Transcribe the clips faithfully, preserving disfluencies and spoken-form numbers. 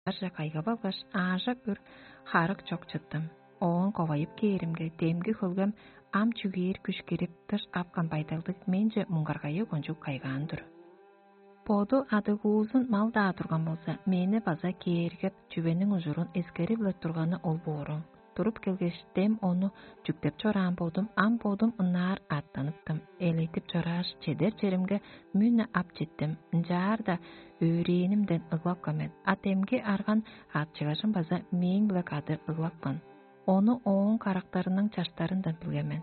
ынчаарже кайгап алгаш, аажак үр харык чок чыттым. Оон ковайып кээримге, демги хөлгем ам чүгээр күш кирип, дыш апкан байдалдыг менче муңгаргайы кончуг кайгаан-дыр. Боду адыгуузун мал-даа турган болза, мени база кээргеп, чүвениң ужурун эскери-биле турганы ол бооруң. Туруп келгеш, дем ону чүктеп чораан бодум, ам бодум ынаар аъттаныптым. Элейтип чорааш, чедер черимге мүн-не ап читтим. Ынчаар-даа өөрээнимден ыглапкан мен. А демги арган аътчыгажым база мээң-биле кады ыглапкан. Ону ооң карактарының чаштарындан билген мен.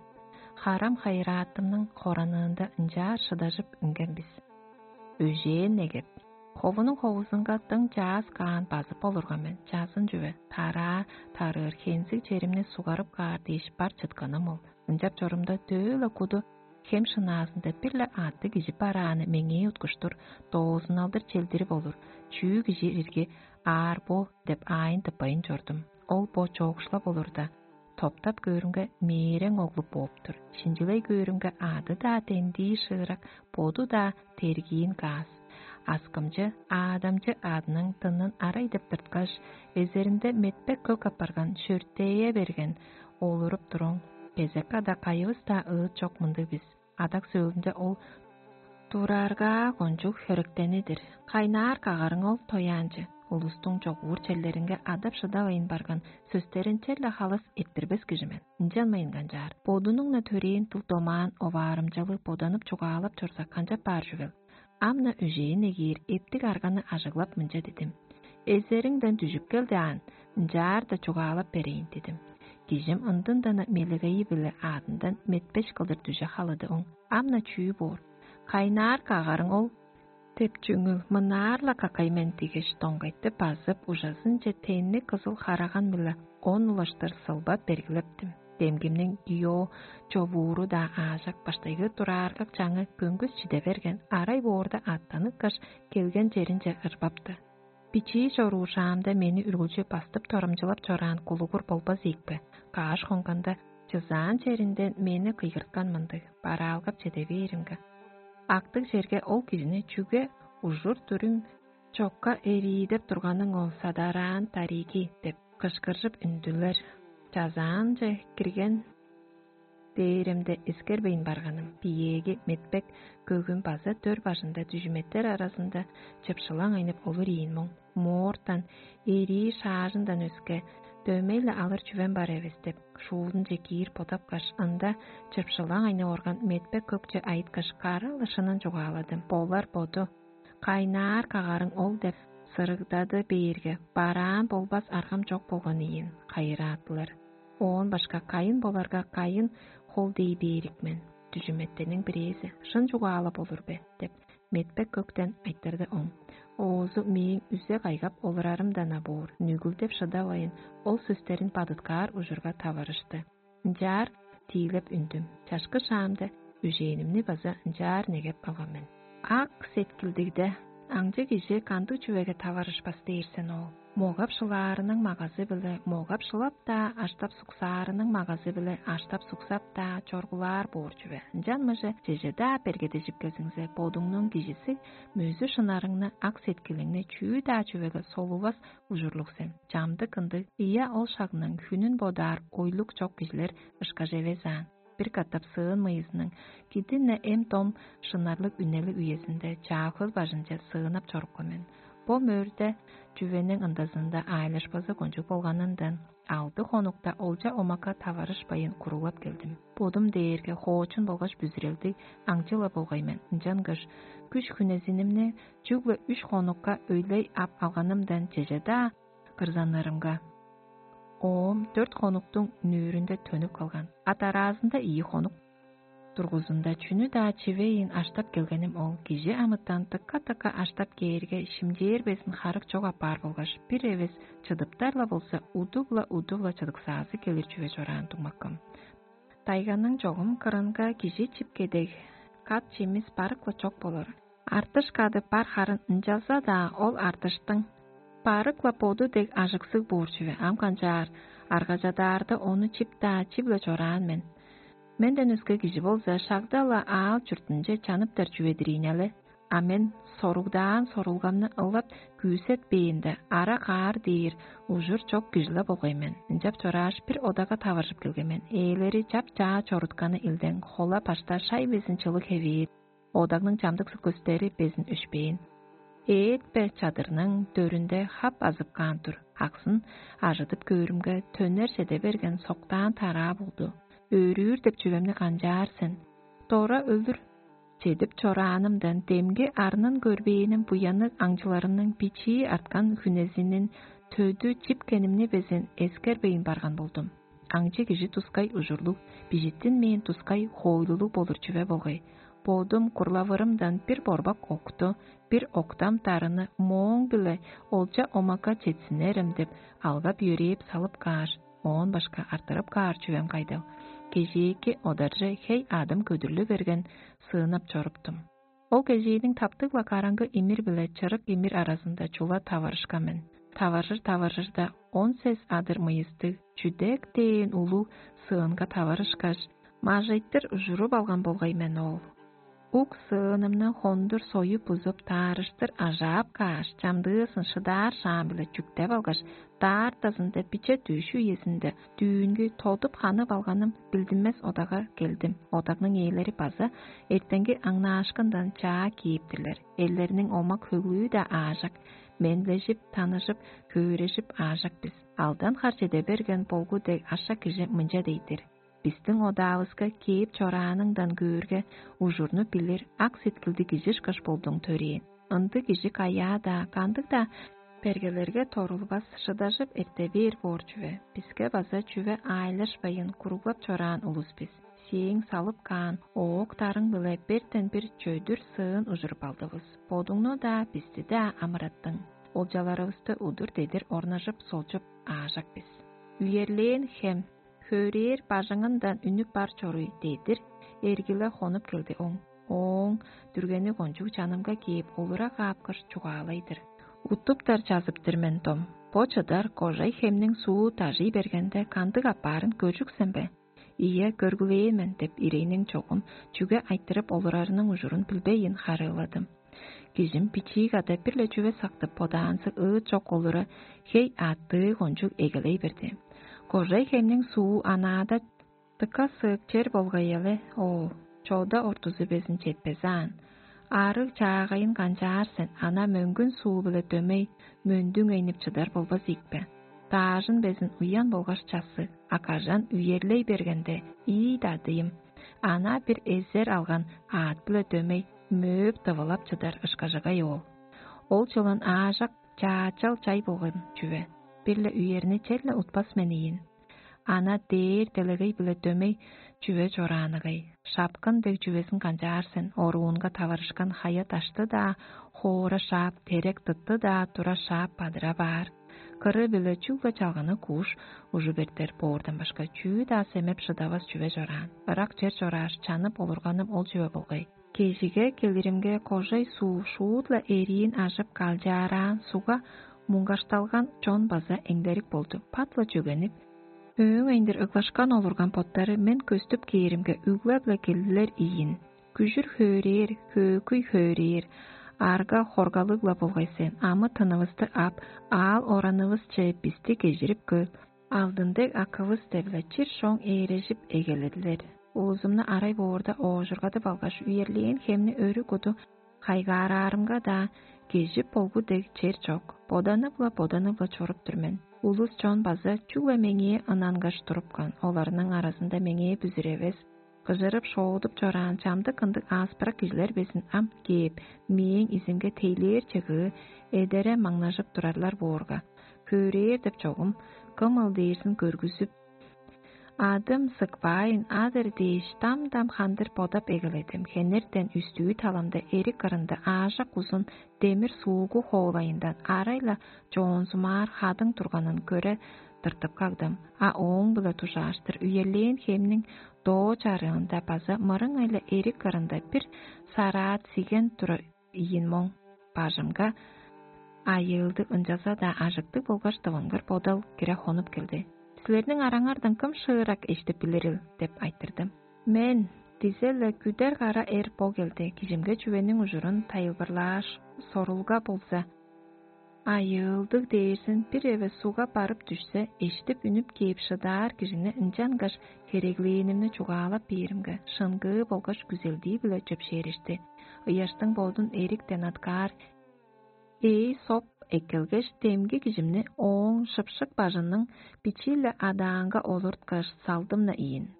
Харам хайыраатымның хораныында ынчаар шыдажып үнген бис. Өжээн негеп, ховунуң ховузунга дың чаас каан базып олурган мен, чазын чүве, тараа тарыыр хензиг черимни сугарып каар дээш бар чытканым ол. Ынчап чорумда, төө-ла куду хем шынаазында бир-ле аъттыг кижи барааны меңээ уткуштур, доозуналдыр челдирип олур, чүү кижи ирги аар бо деп аайын тыппайн чордум. Ол бо чоокшулап олурда, топтап көөрүмге, мээрең оглу бооп-тур. Шинчилей көөрүмге, аъды-даа дендии шыырак, боду-даа тергиин каас. Аскымчы, аадамчы аъдының дынын арай деп тырткаш, эзеринде метпек көк апарган шөртее берген, олуруп туруң. Кезек када кайывыс-даа ыыт чок мындыг бис. Адак сөөлүнде ол тураарга кончуг хөректени-дир. Кайнаар кагарың ол тояанчы, улустуң чогуур черлеринге адап-шыдавайн барган сөстерин черле халас эрттирбес кижи мен. Ынчанмайн канчаар, бодунуң-на төрээн дыл-домаан оваарымчалыг боданып чугаалап чорза, канчап баар чүвел? Ам-на өжээн эгиир эптиг арганы ажыглап, мынча дидим: «Эзериңден дүжүп кел даан, ынчаар-даа чугаалап берейн», — дидим. Кижим ындын-дана мелегейи-биле аадындан метпеш кылдыр дүже халады оң. Ам-на чүү боор? «Кайнаар кагарың ол?» — деп чүңүл, мынаар-ла какай мен дигеш, доңгайтты базып, ужазынче тенни кызыл хараган-биле он улаштыр сылбап бергилептим. Демгимниң йоо човууру-даа аажак, баштайгы турааргак чаңы көңгүс чиде берген, арай боорда аъттаныпкаш, келген черинче ырбапты. Бичии чоруур шаамда мени үргүлчү бастып торамчылап чораан кулугур болбас ийикпе? Кааш хонганда, чызаан черинден мени кыйгырткан мындыг, бараалгап чеде бээримге: «Актыг черге ол кижини чүге ужур-дүрүм чокка эриидеп турганың ол, садараан дариги?» — деп кышкыржып үндүлер. Чазаанче кирген дээремде эскербейн барганым, биеэги метпек көгүм база дөр бажында дүжүметтер аразында чыпшылаң айнып олур ийин моң. Моортан, эрии шаажындан өске, дөмей-ле алыр чүвем бар эвес деп, шуузунче киир бодапкаш, ында чыпшылаң айнып орган метпек көкче айыткаш, кара-ла шынын чугааладым. Болар боду: «Кайнаар кагарың ол?» — деп сырыгдады бээрге, бараан болбас аргам чок болган ийин, хайыраатылар. Оон башка кайын боларга, кайын хол дей бээрик мен. Дүжүметтениң бирээзи: «Шын чугаалап олур бе?» — деп, метпек көктен айтырды оң. Оозу мээң үзе кайгап олурарымдан-на боор, нүгүлдеп шыдавайын, ол сөстерин бадыткаар ужурга таварышты. Ынчаар тиилеп үндүм. Чашкы шаамда үжээнимни база ынчаар негеп алган мен. Ак сеткилдигде аңчы кижи кандыг чүвеге таварышпас дээр сен ол? Могап шылаарының магазы-биле могап шылап-даа, аштап суксаарының магазы-биле аштап суксап-даа чоргулаар боор чүве. Ынчан мыже чеже-даа бергедежип кезиңзе, бодуңнуң кижиси мөзү шынарыңны, ак сеткилиңни чүү-даа чүвеге солувас ужурлуг сен. Чамдык ындыг, ийе, ол шагның хүнүн бодаар ойлуг чок кижилер ышкаш эвес аан. Бир катап сыын мыйызының кидин-не эм-дом шынарлыг үнелиг үезинде чаа хөл бажынче сыынап чорупкан мен. Бо мөрде чүвениң ындазында аайлашпазы кончуг болганындан, алды хонукта олча омакка таварышпайын куруглап келдим. Бодум дээрге хоочун болгаш бүзүрелдиг аңчы-ла болгай мен, ынчангаш күш-хүнезинимни чүгле үш хонукка өйлей ап алганымдан чеже-даа кырзаннарымга. Оом дөрт хонуктуң нүүрүнде төнүп калган, а дараазында ийи хонук дургузунда чүнү-даа чивейн аштап келгеним ол. Кижи амытан тыка-тыка аштап кээрге, шимчээр безин харык чок апаар болгаш, бир эвес чыдыптар-ла болза, удуг-ла, удуг-ла чыдыксаазы келир чүве чораан дуңмаккым. Тайганың чогум кырынга кижи чип кедег, кат-чимис барык-ла чок болур. Артыш кады бар харын, ынчалза-даа ол артыштың барык-ла боду дег ажыксыг боор чүве. Ам канчаар, аргажадаарда ону чип-даа, чип-ле чораан мен. Менден өске кижи болза, шагда-ла аал-чуртунче чаныптар чүве-дир ийин але. А мен соругдаан сорулгамны ылап күүсетпээнде, ара каар дээр ужур чок кижи-ле болгай мен. Ынчап чорааш, бир одага таваржып келген мен. Ээлери чап-чаа чорутканы илдең, хола башта шай безин чылыг хевээр, одагның чамдыксы көстери безин өшпээн. Эът-пе чадырның дөрүнде хап азып каан тур. Аксын ажыдып көөрүмге, төнер чеде берген соктаан тараа болду. Өөрүүр деп чүвемни канчаар сен? Дора өлүр. Чедип чораанымдан демги арнын көрбээним буянныг аңчыларымның бичии арткан хүнезинин төдү чипкенимни безин эскербейн барган болдум. Аңчы кижи тускай ужурлуг, бижиттинмээн тускай хоойлулуг болур чүве болгай. Бодум курлавырымдан бир борбак окту, бир октам дарыны мооң-биле олча омакка четсинерем деп алгап-йөрээп салып кааш, оон башка артырып каар чүвем кайдал? Кежээки одарже хей адым көдүрлү берген сыынап чоруптум. Ол кежээниң таптыг-ла караңгы имир биле чырык имир аразында чула таварышкан мен. Таваржыр-таваржырда он сес адыр мыйыстыг, чүдек дээн улуг сыынга таварышкаш, мажайтыр ужуруп алган болгай мен ол. Ук сыынымны хондур союп бузуп, таарыштыр ажаап кааш, чамдыызын шыдаар шаам-биле чүктеп алгаш, даартазында биче дүъш үезинде дүүнги тодуп ханып алганым билдинмес одага келдим. Одагның ээлери база эртенги аңнаашкындан чаа кээптирлер. Эллерниң омак хөглүү-даа аажак, менлежип, таныжып, хөөрежип аажак бис. Алдан хар чеде берген болгу дег ашак кижи мынча дейдир: «Бистиң одаавыска кээп чорааныңдан көөрге, ужурну билир, ак сеткилдиг кижи ышкаш болдуң төрээн. Ындыг кижи каяа-даа, кандыг-даа бергелерге торулбас, шыдажып эрте бээр боор чүве. Биске база чүве аайлашпайн, куруглап чораан улус бис. Сээң салып каан оок-дарың-биле бертен бир чөдүр сыын ужуруп алдывыс. Бодуңну-даа, бисти-даа амыраттың. Олчаларывысты удур-дедир орнажып, солчуп аажак бис. Үерлээн хем хөөрээр бажыңындан үнүп бар чоруй дедир эргиле хонуп келди оң. Ооң дүргени кончуг чанымга кээп, олура каапкаш, чугаалай-дыр: «Уттуптар чазып-тыр мен, дом. Бо чыдар кожай хемниң суу дажый бергенде, кандыг апаарын көржүксен бе?» «Ийе, көргүлээн мен» — деп, ирейниң чогум чүге айтырып олурарының ужурун билбейн харыыладым. Кижим бичии када бир-ле чүве сактып, бодаанзы ыыт чок олура, хей аъттыы кончуг эгелей берди. Кожай хемниң суу анаада дыка сыык чер болгай эле, оо, чода ортузу безин четпези аан. Аарыг чаагайын канчаар сен, ана мөңгүн суу-биле дөмей, мөндүң эйнип чыдар болбас ийикпе? Даажын безин уян болгаш часы, а кажан үерлей бергенде, ийи дадыйым, ана бир эзер алган аът-биле дөмей, мөөп тывылап чыдар ышкажыгай оол. Ол чылын аажак чаачал чай болган чүве, бир-ле үерни черле утпас мен ийин. Ана дээр делегей-биле дөмей чүве чорааныгай. Шапкын дег чүвезин канчаар сен, оруунга таварышкан хая-дашты-даа хоора шаап, терек-дытты-даа тура шаап бадыра баар. Кыры-биле чүгле чалганы кууш ужуп эртер боордан башка чүү-даа семеп шыдавас чүве чораан. Ырак чер чорааш, чанып олурганым ол чүве болгай. Кежиге келиримге, кожай суу шуут-ла эриин ажып, калчаараан сугга муңгашталган чон база эңдерик болду, пат-ла чөгенип. Өөң айындыр ыглашкан олурган боттары мен көстүп кээримге, үглеп-ле келдилер ийин. Күжүр хөөрээр, хөөкүй хөөрээр, арга хоргалыг-ла болгай сен, амы-тынывысты ап, аал оранывысче бисти кежирип көр, алдын дег акывыс деп-ле чир-шоң ээрежип эгеледилер. Улузумну арай боорда оожургадып алгаш, үерлээн хемни өрү куду хайгаараарымга-даа, кежип болгу дег чер чок. Боданып-ла, боданып-ла чоруп тур мен. Улус-чон база чүгле меңээ ынангаш турупкан, оларның аразында меңээ бүзүревес, кыжырып-шоодуп чораан чамдык ындыг ааспырак кижилер безин ам кээп, мээң изимге тейлээр чыгыы эдере маңнажып турарлар боорга, хөөрээр деп чогум, кым ыл дээрзин көргүзүп, адым сыкпаайн адыр дээш, дам-дам хандыр бодап эгеледим. Хенертен үстүү таламда эрик кырында аажак узун демир суугу хоолайындан арай-ла чоонзумаар хадың турганын көре тыртып кагдым. А ооң-биле дужааштыр үерлээн хемниң доо чарыында база мырыңай-ла эрик кырында бир сараат сиген тура ийин моң. Бажымга айыылдыг, ынчалза-даа ажыктыг болгаш дывынгыр бодал кире хонуп келди. «Силерниң араңардан кым шыырак эштип билирил?» — деп айтырдым. «Мен, Дизе-ле күдер кара эр бо келди, кижимге чүвениң ужурун тайылбырлааш, сорулга болза, айыылдыг дээрзин бир эвес сугга барып дүшсе, эштип үнүп кээп шыдаар кижини ынчангаш хереглээнимни чугаалап бээримге, шыңгыы болгаш күзелдии-биле чөпшээрешти. Ыяштың бодун эриктен аткаар ээй соп эккелгеш, демги кижимни ооң шыпшык бажының бичии-ле адаанга олурткаш, салдым-на ийин.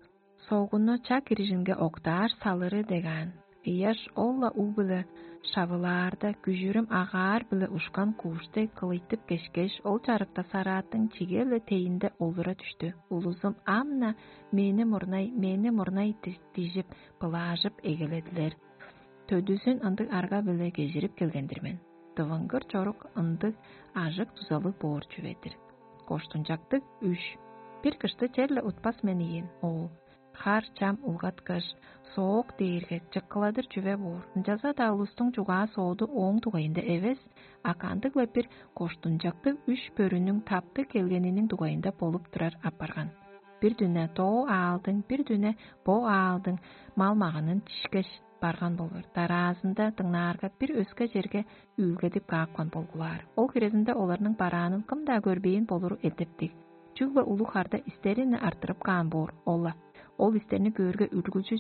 Согуну чак кирижинге октаар салыры дегаан. Ыяш ол-ла уг-биле шавылаарда, күжүрүм агаар-биле ушкан кууштай кылыйтып кешкеш, ол чарыкта сарааттың чиге-ле тейинде олура дүштү. Улузум ам-на: «Мени мурнай, мени мурнай» дижип, былаажып эгеледилер. Төдүзүн ындыг арга-биле кежирип келген-дир мен. Дывыңгыр чорук ындыг ажык-дузалыг боор чүве-дир. Коштунчактыг үш. Бир кышты черле утпас мен ийин, оол. Хар чам улгаткаш, соок дээрге чыккыладыр чүве боор. Ынчалза-даа улустуң чугаа-сооду ооң дугайында эвес, а кандыг-ла бир коштунчактыг үш бөрүнүң таптыг келгениниң дугайында болуп турар апарган. Бир дүне доо аалдың, бир дүне бо аалдың мал-маганын чишкеш барган болур. Дараазында дыңнаарга, бир өске черге үүлгедип каапкан болгулаар. Ол хирезинде оларның бараанын кым-даа көрбээн болуру эдептиг. Чүгле улуг харда истерин артырып каан боор ол-ла. Ол истерни көөрге, үргүлчү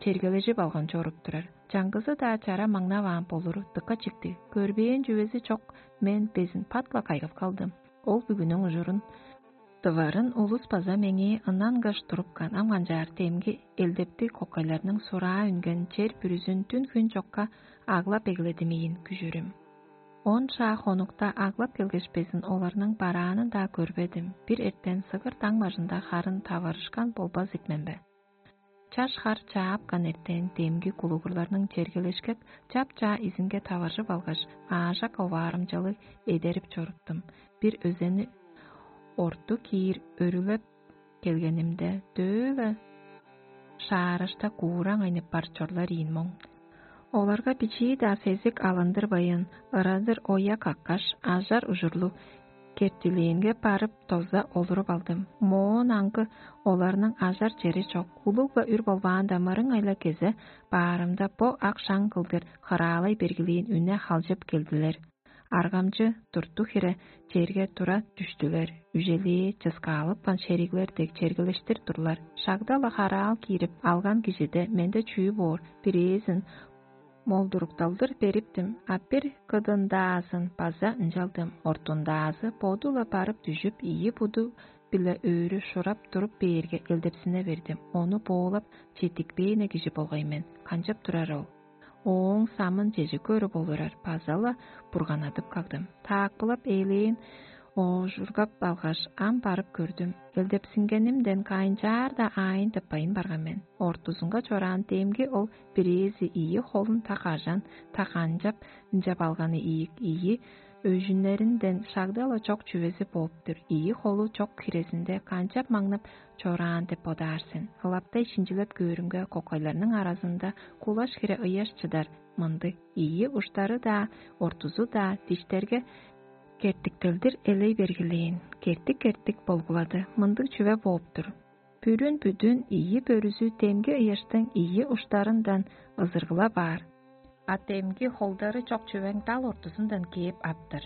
чергележип алган чоруп турар. Чаңгызы-даа чара маңнаваан болуру дыка чиктиг. Көрбээн чүвези чок мен безин пат-ла кайгап калдым. Ол бүгүнүң ужурун дыварын улус база меңээ ынангаш турупкан, ам канчаар, демги элдептиг кокайларның сураа үнген чер бүрүзүн дүн-хүн чокка аглап эгеледимейин күжүрүм. Он шаа хонукта аглап келгеш безин оларның бараанын-даа көрбедим. Бир эртен сыгыр даң бажында харын таварышкан болбас икмен бе? Чаш хар чаапкан эртен демги кулугурларның чергелешкек чап-чаа изинге таваржып алгаш, аажак оваарымчалыг эдерип чоруптум. Бир өзени орту киир өрүлеп келгенимде, дөө-ла шаарышта куураң айнып бар чорлар ийин моң. Оларга бичии-даа сезик алындырбайн, ырадыр оя каккаш, ажар ужурлуг кертилээнге барып, доза олуруп алдым. Моон аңгы оларның ажар чери чок, улуг-ла үр болбаанда, мырыңай-ла кезе баарымда, бо ак шаң кылдыр хыраалай бергилээн үне халчып келдилер. Аргамчы турту хире черге тура дүштүлер. Үжелээ чыскаалыпкан шериглер дег чергелештир турлар. Шагда-ла хараал киирип алган кижиде менде чүү боор, бирээзин молдурукталдыр бериптим, а бир кыдындаазын база ынчалдым. Ортундаазы боду-ла барып дүжүп, ийи буду-биле өрү шурап туруп бээрге, элдепсине бердим. Ону боолап четтикпээне кижи болгай мен. Канчап турар ол? Ооң самын чеже көрүп олурар база-ла бурганадып кагдым. Таакпылап ээлээн оожургап алгаш, ам барып көрдүм. Элдепсингенимден кайынчаар-даа аайын тыппайн барган мен. Ортузунга чораан демги ол бирээзи ийи холун та кажан, та канчап ынчап алганы ийик, ийи өжүннеринден шагда-ла чок чүвези бооп-тур. Ийи холу чок хирезинде канчап маңнап чораан деп бодаар сен. Ылаптай шинчилеп көөрүмге, кокайларның аразында кулаш хире ыяш чыдар мындыг: ийи уштары-даа, ортузу-даа диштерге кертиктелдир элей бергилээн, кертик-кертик болгулады. Мындыг чүве бооп-тур: бүрүн бүдүн ийи бөрүзү демги ыяштың ийи уштарындан ызыргыла баар, а демги холдары чок чүвең дал ортузундан кээп аптыр.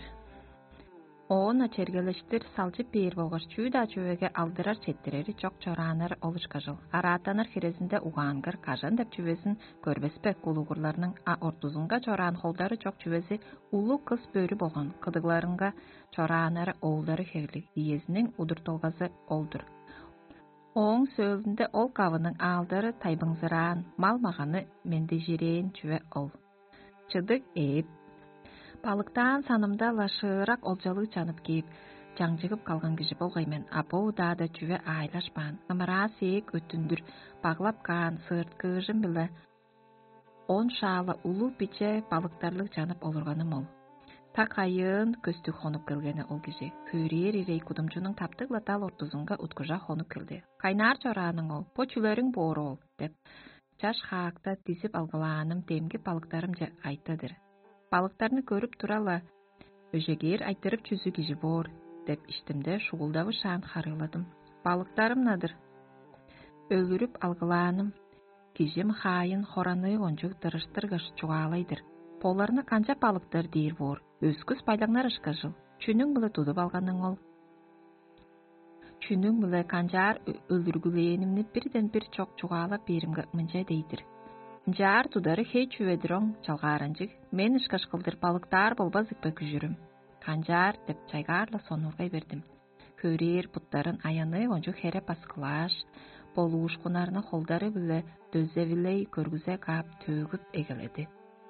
Оон-на чергелештир салчып бээр болгаш, чүү-даа чүвеге алдырар-четтирери чок чорааннар ол ышкажыл. Араатаныр хирезинде угаангыр, кажан деп чүвезин көрбес бе, кулугурларның, а ортузунга чораан холдары чок чүвези улуг кыс бөрү болган, кыдыгларынга чорааннары оолдары хевирлиг, иезиниң удуртулгазы ол-дур. Ооң сөөлүнде ол кавының аалдары тайбыңзыраан, мал-маганы мендижирээн чүве ол. Чыдыг ээп, балыктаан санымда-ла шыырак олчалыг чанып кээп, чаңчыгып калган кижи болгай мен, а бо удаада чүве аайлашпаан, ымыраа сээк өттүндүр баглап каан сыырткыыжым-биле он шаала улуг биче балыктарлыг чанып олурганым ол. Так айыын көстүг хонуп келгени ол кижи. Хөөрээр ирей кудумчунуң таптыг-ла дал ортузунга уткужа хонуп келди. «Кайнаар чорааның ол? Бо чүлериң боор ол?» — деп, чаш хаакта дизип алгылааным демги балыктарымче айтты-дыр. Балыктарны көрүп тура-ла: «Өжегээр айтырып чүзү кижи боор» — деп иштимде шугулдавышаан харыыладым. Балыктарым-на-дыр. Өлүрүп алгылааным Кижим хаайын хораныы кончуг дырыштыргаш чугаалай-дыр: «Боларны канчап алыптар?» — дээр боор. Өскүс байлаңнар ышкажыл. Чүнүң-биле тудуп алганың ол? Чүнүң-биле канчаар ө- өлүргүлээнимни бирден бир чок чугаалап бээримге, мынча дей-дир: «Ынчаар тудары хей чүве-дир оң, чалгааранчыг. Мен ышкаш кылдыр балыктаар болбас ийикпе, күжүрүм?» «Канчаар?» — деп чайгаар-ла сонуургай бердим. Хөрээр буттарын аяныы кончуг хере баскылааш, болуушкуннарны холдары-биле дөзевилей көргүзе каап, төөгүп эгеледи: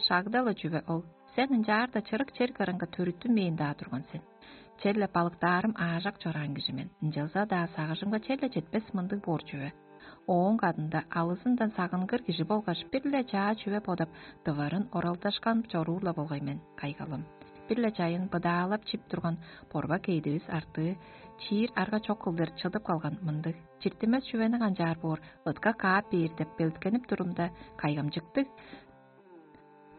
«Шагда-ла чүве ол. Сен ынчаарда чырык чер кырынга төрүттүнмээн-даа турган сен. Черле балыктаарым аажак чораан кижи мен. Ынчалза-даа сагыжымга черле четпес мындыг боор чүве. Ооң кадында алызындан сагынгыр кижи болгаш бир-ле чаа чүве бодап, дыварын оралдашкан чоруур-ла болгай мен, кайгалым. Бир-ле чайын быдаалап чип турган борбак эъдивис артыы чиир арга чок кылдыр чыдып калган мындыг. Чиртинмес чүвени канчаар боор, ытка каап бээр деп белеткенип турумда, кайгамчыктыг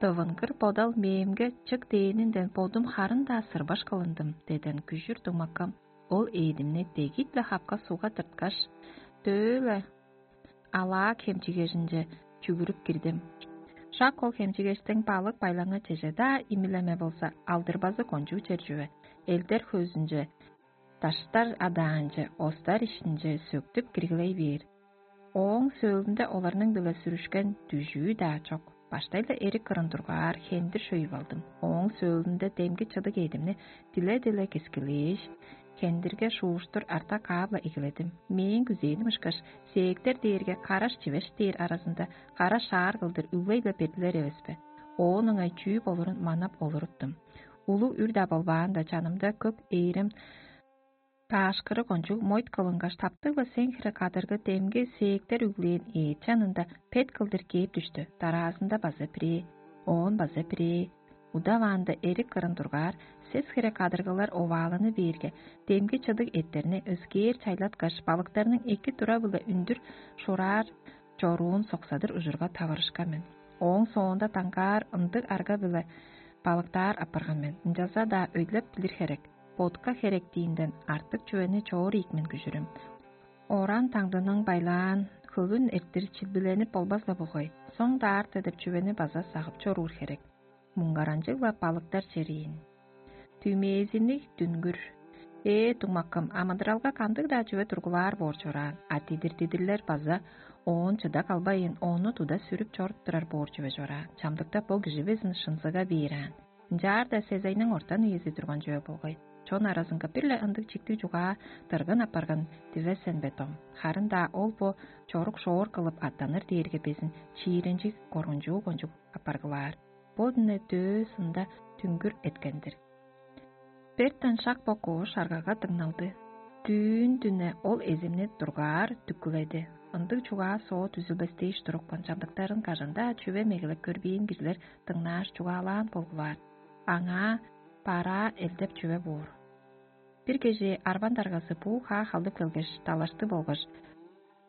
дывынгыр бодал мээңге чык дээнинден бодум харын-даа сырбаш кылындым» — деден күжүр дуңмаккам ол эъдимни дегип-ле хапка сугга тырткаш, дөө-ле алаак хемчигежинче чүгүрүп кирдим. Шак ол хемчигештиң балык байлаңы чеже-даа имилеме болза, алдырбазы кончуг чер чүве, элдер хөөзүнче, даштар адаанче, остар иштинче сөктүп киргилей бээр. Ооң сөөлүнде оларның-биле сүрүшкен дүжүү-даа чок. Баштай-ла эрик кырын тургаар хендир шөйүп алдым. Ооң сөөлүнде демги чыдыг эъдимни диле-диле кескилээш, хендирге шууштур арта каап-ла эгеледим. Мээң күзээним ышкаш, сээктер дээрге караш-чивеш дээр аразында кара шаар кылдыр үглей-ле бердилер эвеспе? Оон ыңай чүү болурун манап олуруптум. Улуг үр-даа болбаанда, чанымда көк ээрем даашкыры кончуг мойт кылынгаш, таптыг-ла сең хире кадыргы демги сээктер үглээн эът чанында пет кылдыр кээп дүштү. Дараазында база бирээ, оон база бирээ. Удаваанда эрик кырын тургаар, сес хире кадыргылар овааланы бээрге, демги чыдыг эъттерни өскээр чайлаткаш, балыктарның эки тура-биле үндүр шураар чоруун соксадыр ужурга таварышкан мен. Ооң соонда даңгаар ындыг арга-биле балыктаар апарган мен. Ынчалза-даа өйлеп билир херек, ботка херектиинден артык чүвени чоор ийик мен, күжүрүм. Оран таңдының байлаан хөлүн эрттир чилбиленип болбас-ла болгай. Соң даарты деп чүвени база сагып чоруур херек. Муңгаранчыг-ла балыктар чериин. Түмээзинниг дүнгүр. Ээ, дуңмаккым, амыдыралга кандыг-даа чүве тургулаар боор чораан, а дидир-дидирлер база оон чыда калбайын, ону туда сүрүп чоруп турар боор чүве чораан. Чамдыкта бо кижи безин шынзыга бээр аан. Ынчаарда сезайның ортан үези турган чүве болгай. Чон аразынга бир-ле ындыг чиктиг чугаа дыргын апарган дивес сен бе, дом? Харын-даа ол бо чорук шоор кылып аттаныр дээрге безин чииренчиг, коргунчуу кончуг апаргылаар. Бо дүне дөө сында түңгүр эткен-дир. Бертен шак бо коош аргага дыңналды. Дүүн дүне ол эзимни дургаар дүккүледи. Ындыг чугаа-соо дүзүлбес дээш турупкан чамдыктарын кажан-даа чүве мегелеп көрбээн кижилер дыңнааш чугаалаан болгулаар. Аңаа бараа элдеп чүве боор. Бир кежээ арбан даргазы буу хаа халдып келгеш, далашты болгаш,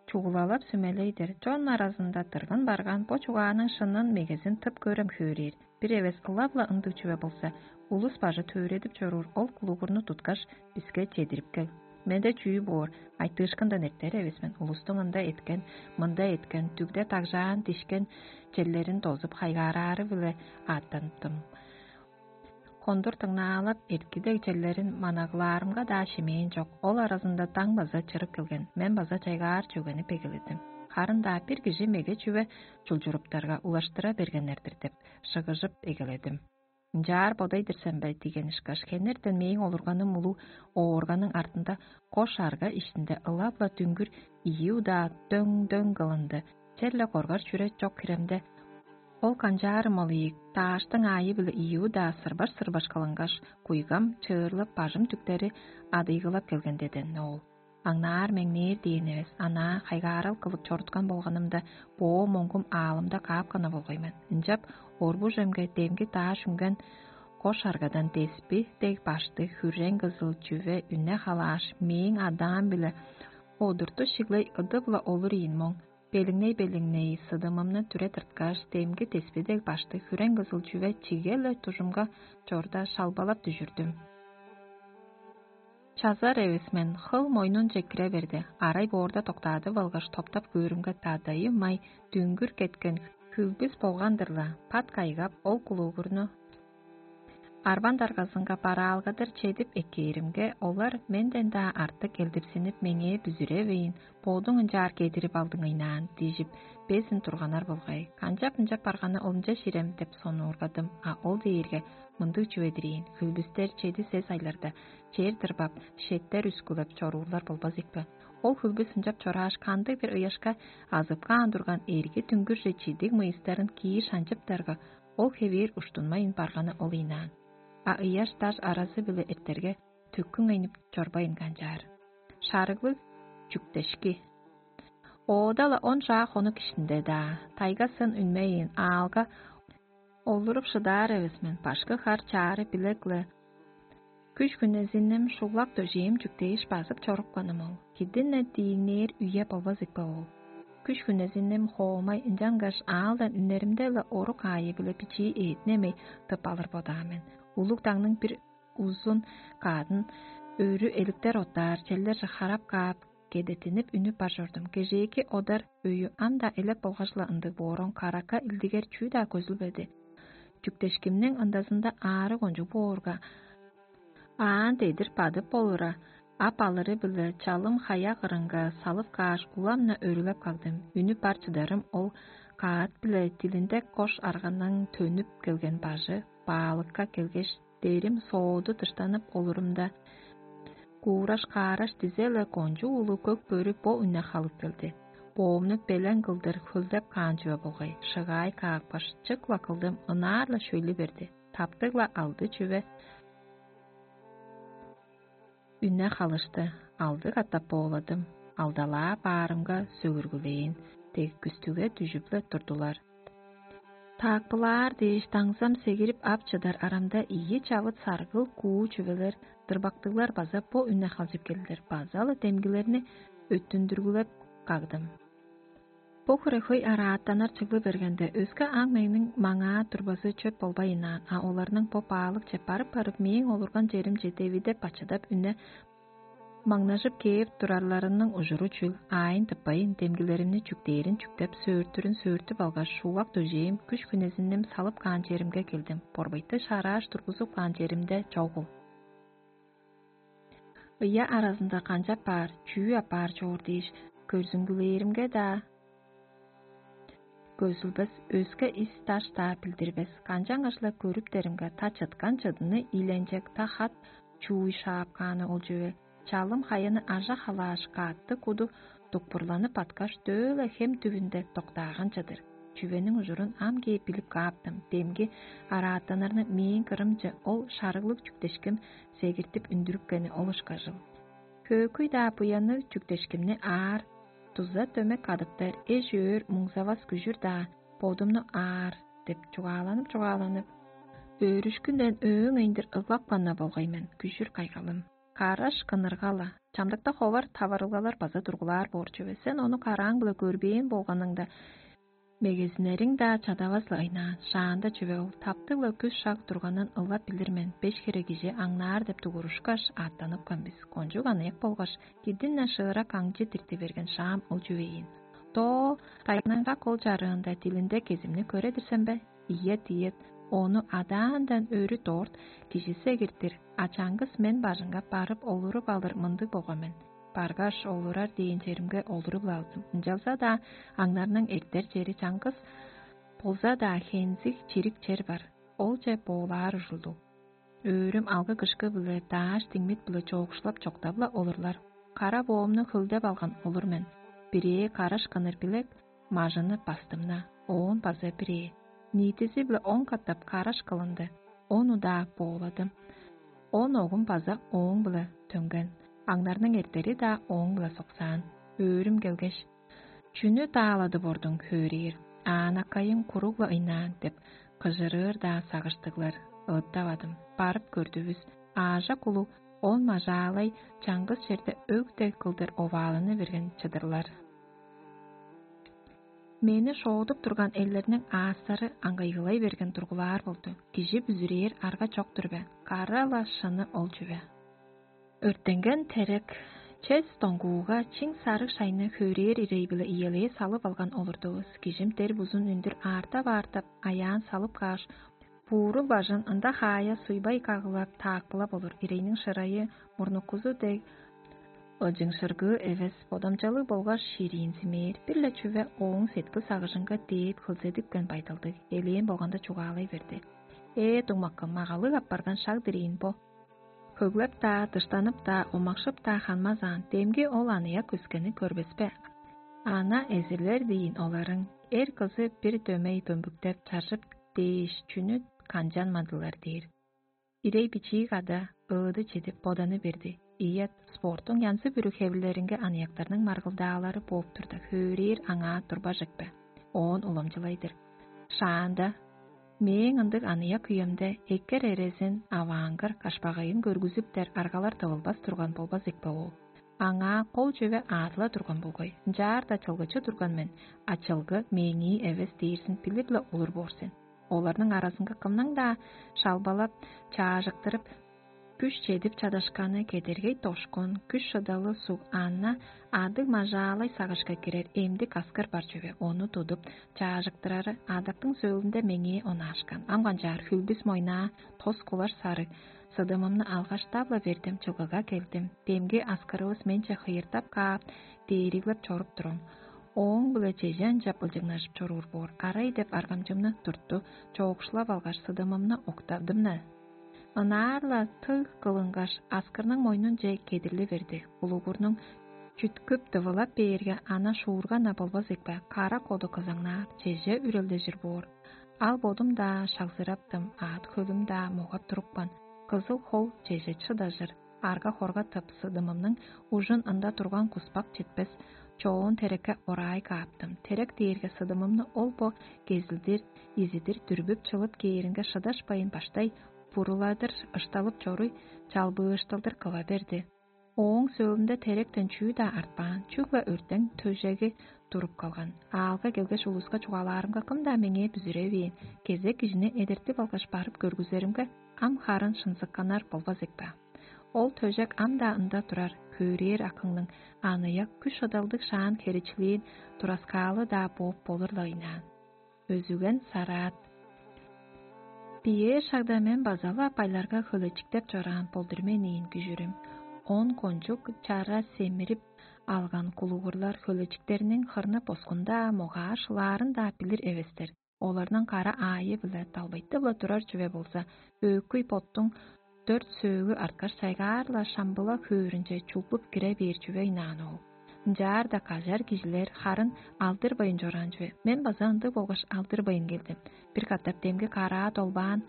чугулалап сүмелей-дир: «Чон аразында дыргын барган бо чугааның шынын мегезин тып көрем хөөрээр. Бир эвес ылап-ла ындыг чүве болза, улус бажы төөредип чоруур ол кулугурну туткаш, биске чедирип кел». Менде чүү боор, айтыышкындан эртер эвес мен. Улустуң ында эткен, мында эткен, дүгде дагжаан, дишкен черлерин дозуп, хайгаараары-биле аъттаныптым. Кондур дыңнаалап, эрткилег черлерин манаглаарымга-даа шимээн чок. Ол аразында даң база чырып келген, мен база чайгаар чөгенип эгеледим. Харын-даа бир кижи меге чүве чулчуруптарга улаштыра бергеннер-дир деп, шыгыжып эгеледим. «Ынчаар бодай-дыр сен бе?» — диген ышкаш, хенертен мээң олурганым улуг оорганың артында кош арга иштинде ылап-ла дүңгүр ийи удаа дөң-дөң кылынды. Черле коргар чүре чок хиремде, ол канчаарым ол ийик, дааштың аайы-биле ийи удаа сырбаш-сырбаш кылынгаш, куйгам чыырлып, бажым дүктери адыйгылап келген деден ол. Аңнаар-меңнээр дээн эвес, анаа хайгаарал кылып чоруткан болганымда, боо моңгум аалымда каапканы болгай мен. Ынчап орбужемге демги дааш үнген кош аргадан деспи дег баштыг хүррең кызыл чүве үне халааш, мээң адаам-биле одурту шиглей ыдып-ла олур ийин моң. Белиңней-белиңней сыдымымны түре тырткаш, демги деспи дег баштыг хүрең кызыл чүве чиге-ле дужумга чорда шалбалап дүжүрдүм. Чазар эвес мен хыл мойнунче кире берди. Арай боорда доктаадып алгаш, топтап көөрүмге, дадайы май дүңгүр кеткен хүлбүс болган-дыр-ла, пат кайгап, ол кулугурну арбан даргазынга бараалгадыр чедип эккээримге, олар менден-даа артык элдирсинип, меңээ бүзүревейн, бодуң ынчаар кедирип алдың ыйнаан, дижип, безин турганнар болгай. Канчап ынчап барганы олунча ширем деп сонуургадым, а ол дээрге мындыг чүве-дир ийин: хүлбүстер чеди-сес айларда чер дырбап, шеттер үскүлеп чоруурлар болбас ийикпе? Ол хүлбүс ынчап чорааш, кандыг-бир ыяшка азып каан турган эрги дүңгүрже чидиг мыйыстарын киир шанчыптарга, ол хевээр уштунмайн барганы ол ыйнаан. А ыяш даш аразы-биле эртерге, төккүң айнып чорбайн канчаар. Шарыглыг чүктешки. Оода-ла он чаа хонук иштинде-даа, тайга сын үнмейн, аалга олуруп шыдаар эвес мен, башкы хар чаары билек-ле күш хүнезинним шуглак дөжээм чүктээш базып чорупканым ол. Кидин-не дииңнээр үе болбас ийикпе ол. Күш хүнезинним хоомай, ынчангаш аалдан үнеримде-ле орук аайы-биле бичии эъдинемей тып алыр бодаар мен. Улуг дагның бир узун каадын өрү эликтер оттаар челдерже харап каап, кедеттинип үнүп бар чордум. Кежээки одар өйү ам-даа элеп болгаш-ла ындыг боорун каракка илдигер чүү-даа көзүлбеди. Чүктешкимниң ындазында аарыг кончуг боорга, аан дедир бадып болура, ап алыры-биле чалым хая кырынга салып кааш, улам-на өрүлеп кагдым. Үнүп бар чыдарым ол каат-биле дилинде кош арганың төнүп келген бажы баалыкка келгеш, дээрим сооду дыштанып олурумда, куураш-каараш дизе-ле кончуг улуг көк бөрү бо үнне халып келди. Боомну белен кылдыр хөлдеп каан чүве болгай, шыгаай каапкаш, чык-ла кылдым, ынаар-ла шөйлү берди. Таптыг-ла алды чүве үнне халышты, алды катап бооладым, алдалаа баарымга сөгүргүлээн дег күстүге дүжүп-ле турдулар. Таакпылаар дээш даңзам сегирип ап чыдар арамда ийи чавыт саргыл куу чүвелер, дырбактыглар база бо үнне халчып келдилер, база-ла демгилерни өттүндүргүлеп кагдым. Бо хире хөй араатаннар чыглы бергенде, өске аң меңниң маңаа турбазы чөп болбайынаан, а оларның бо баалыкче барып-барып мээң олурган черимче девидеп бачыдап үне маңнажып кээп турарларының ужуру чүл, аайын тыппайын, демгилеримни чүктээрин чүктеп, сөөртүрүн сөөртүп алгаш, шуулак дөжээм күш хүнезинним салып каан черимге келдим. Борбайты шаарааш тургузуп каан черимде чогул. Ыяа аразында канчап баар, чүү апаар чоор дээш, көрзүңгүлээримге-даа көзүлбес, өске ис-даш-даа билдирбес, канчангаш-ла көрүптеримге, та чыткан чыдыны ийленчек, та хат чууй шаап кааны ол чүве. Чалым хаяны ажа халааш, каътты куду дукпурланып баткаш, дөө-ла хем түвүнде доктааган чыдыр. Чүвениң ужурун ам кээп билип кааптым. Демги араатаннарны мээң кырымче ол шарыглыг чүктешким сегиртип үндүрүпкени ол ышкажыл. Хөөкүй-даа буянныг чүктешкимни аар, дуза дөмек кадыптар эш-өөр муңзавас күжүр-даа, бодумну аар деп чугааланып-чугааланып, өөрүшкүнден өөң эйиндир ыглап каан болгай мен, күжүр кайгалым. Караш кыныргала, чамдыкта ховар таварылгалар база тургулаар боор чүве. Сен ону карааң-биле көрбээн болганыңда, мегезинериң-даа чадавас-ла ыйнаан. Шаанда чүве ол, таптыг-ла күс шаг турганын ылап билир мен, беш хире кижи аңнаар деп дугурушкаш, аъттаныпкан бис. Кончуг аныяк болгаш, кидин-не шыырак аңчы дирти берген шаам ол чүве ийин. Доо, тайгының как ол чарыында дилинде кезимни көредир сен бе? Ийе, диет, ону адаандан өрү дорт кижи сегиртир, а чаңгыс мен бажыңга барып олуруп алыр мындыг болган мен. Баргаш, олурар дээн черимге олуруп-ла алдым. Ынчалза-даа аңнарның эртер чери чаңгыс болза-даа, хензиг чирик чер бар. Олче боолаар ужурлуг. Өөрүм алгы-кышкы-биле, дааш-диңмит-биле чоокшулап чоктап-ла олурлар. Кара боомну хөлдеп алган олур мен. Бирээ караш кыныр билек, мажыны бастымна, оон база бирээ. Ниитизи-биле он катап караш кылынды, он удаа бооладым. Он огум база ооң-биле төнген, аңнарның эртери-даа ооң-биле соксаан. Өөрүм келгеш: «Чүнү дааладып ордуң, хөөрээр? Аанакайың куруг-ла ыйнаан» — деп кыжырыыр-даа сагыштыглар. Ыыттавадым. Барып көрдүвүс, аажак улуг он мажаалай чаңгыс черде өг дег кылдыр овааланы берген чыдырлар. Мени шоодуп турган элдерниң аастары аңгайгылай берген тургулаар болду. Кижи бүзүрээр арга чок-тур бе? Кара-ла шыны ол чүве. Өрттенген терек чес доңгууга чиң сарыг шайны хөөрээр ирей-биле иелээ салып алган олурдувус. Кижим дер бузун үндүр аартап-аартап, аяан салып кааш, буурул бажын ында хаая суйбай кагылап, таакпылап олур. Ирейниң шырайы мурнуккузу дег ылчыңшыргыы эвес, бодамчалыг болгаш шириинзимээр, бир-ле чүве ооң сеткил-сагыжынга дээп хылзедипкен байдалдыг, элээн болганда чугаалай берди: «Ээ, дуңмаккым, магалыг апарган шаг дириин бо. Хөглеп-даа, дыштанып-даа, омакшып-даа ханмазаан, демги ол аныяк өскени көрбес бе? Ана эзирлер диин оларың, эр кызы бир дөмей дөмбүктеп чаржып дээш, чүнү канчанмадылар» дээр. Ирей бичии када ыыды чедип боданы берди. Ийет, спорттуң янзы-бүрү хевирлеринге аныяктарның маргылдаалары бооп турда, хөөрээр аңаа турбажык бе? Оон уламчылай-дыр: «Шаанда, мээң ындыг аныяк үемде эккер эрезин, аваангыр, кашпагайын көргүзүптер аргалар тывылбас турган болбас экпе ол? Аңаа кол чүве аадыла турган болгай, ынчаар-даа чылгычы турган мен, а чылгы мээңии эвес дээрзин билир-ле олур боор сен. Оларның аразынга кымның-даа шалбалап, чаажыктырып, күш чедип чадашканы кедергей дошкун, күш шыдалы суг, анна, адыг мажаалай сагышка кирер эмдик аскыр бар чүве, ону тудуп, чаажыктырары адактың сөөлүнде меңээ онаашкан. Ам канчаар хүлбүс мойнаа, тос кулаш сарыг, сыдымымны алгаш, дап-ла бердим, чылгыга келдим. Демги аскырывыс менче хыйыртап каап, дээриглеп чоруп турам. Ооң-биле чеже ынчап ылчыгнажып чоруур боор, арай деп аргамчымны туртту, чоокшулап алгаш, сыдымымны октадым-на. Ынаар-ла тыг кылынгаш, аскырның мойнунче кедирли берди. Улугурнуң чүткүп дывылап бээрге, ана шуурга-на болбас экпе, кара коду кызаңнаар, чеже үрелдежир боор. Ал бодум-даа шагзыраптым, аът-хөлүм-даа могап турупкан, кызыл хол чеже чыдажыр, арга-хорга тып, сыдымымның ужун ында турган куспак четпес чоон терекке орай кааптым. Терек дээрге сыдымымны ол-бо кезилдир, изидир дүрбүп чылып кээринге шыдашпайн баштай буруладыр ышталып чоруй, чалбыышталдыр кыва берди. Ооң сөөлүнде теректен чүү-даа артпаан, чүгле өртең төжеги туруп калган. Аалга келгеш, улуска чугаалаарымга, кым-даа меңээ бүзүревээн, кезек кижини эдертип алгаш, барып көргүзеримге, ам харын шынзыкканнар болбас экпе. Ол төжек ам-даа ында турар, хөөрээр акыңның аныяк күш-ыдалдыг шаан херечилээн тураскаалы-даа бооп болур-ла ыйнаан. Өзүген сараат. Биээр шагда мен база-ла байларга хөлечиктеп чораан болдур мен ийин күжүрүм. Он кончуг чара семирип алган кулугурлар хөлечиктерниң хырны-боскун-даа, могаа шылаарын-даа билир эвестер. Оларның кара аайы-биле далбайтып-ла турар чүве болза, өөкүй боттуң дөрт сөөгү арткаш, сайгаар-ла шамбыла хөөрүнче чулгуп кире бээр чүве ыйнаан ол. Ынчаар-даа кажар кижилер харын алдырбайн чораан чүве. Мен база ындыг болгаш алдырбайн келдим. Бир катап демги караа долбаан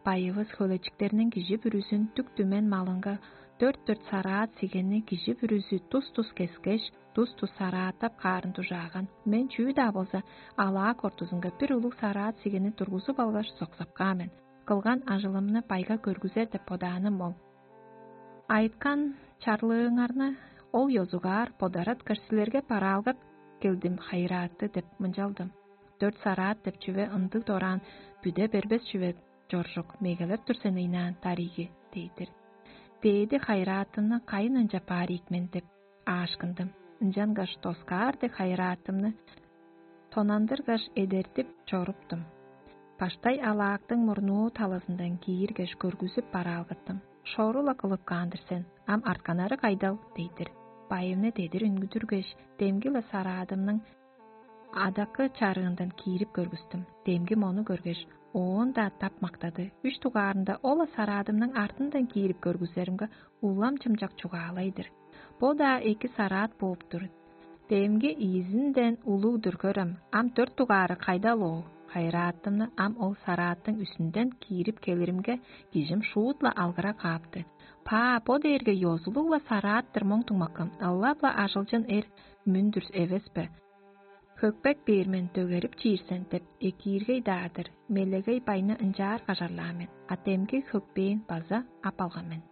байывыс хөлечиктерниң кижи бүрүзүн дүк-дүмен малынга дөрт-дөрт сараат сигенни кижи бүрүзү тус-тус кескеш, тус-тус сарааттап каарын дужааган. Мен чүү-даа болза, алаак ортузунга бир улуг сараат сигенни тургузуп алгаш, соксап каан мен. Кылган ажылымны байга көргүзер деп бодааным ол. Айыткан чарлыыңарны ол ёзугаар бодараткаш, силерге бараалгап келдим, хайырааты деп мынчалдым. Дөрт сараат деп чүве ындыг дораан бүде бербес чүве чоржук, мегелеп тур сен ыйнаан, дариги, дей-дир. Дээди хайыраатымны кайын ынчап баар ийик мен деп аашкындым. Ынчангаш доскаар дег хайыраатымны тонандыргаш, эдертип чоруптум. Баштай алаактың мурнуу талазындан кииргеш, көргүзүп бараалгаттым. Шору-ла кылып каан-дыр сен, ам артканнары кайдал, дей-дир. Байымны дедир үнгүдүргеш, демги-ла сараадымның адакы чарыындан киирип көргүстүм. Демги мону көргеш, оон-даа тап мактады. Үш дугаарында ол-ла сараадымның артындан киирип көргүзеримге, улам чымчак чугаалай-дыр. Бо-даа эки сараат бооп тур. Демги ийизинден улуг-дур көрем, ам дөрт дугаары кайдал ол? Хайыраатымны ам ол сарааттың үстүнден киирип келиримге, кижим шуут-ла алгыра каапты. Паа, бо дээрге ёзулуг-ла сараат-тыр моң дуңмаккан, ылап-ла ажылчын эр мүндүр эвес бе? Хөкпек бээр мен, дөгерип чиир сен деп, экииргей-даа-дыр, мелегей байны ынчаар кажарлаан мен, а демги хөкпээн база ап алган мен.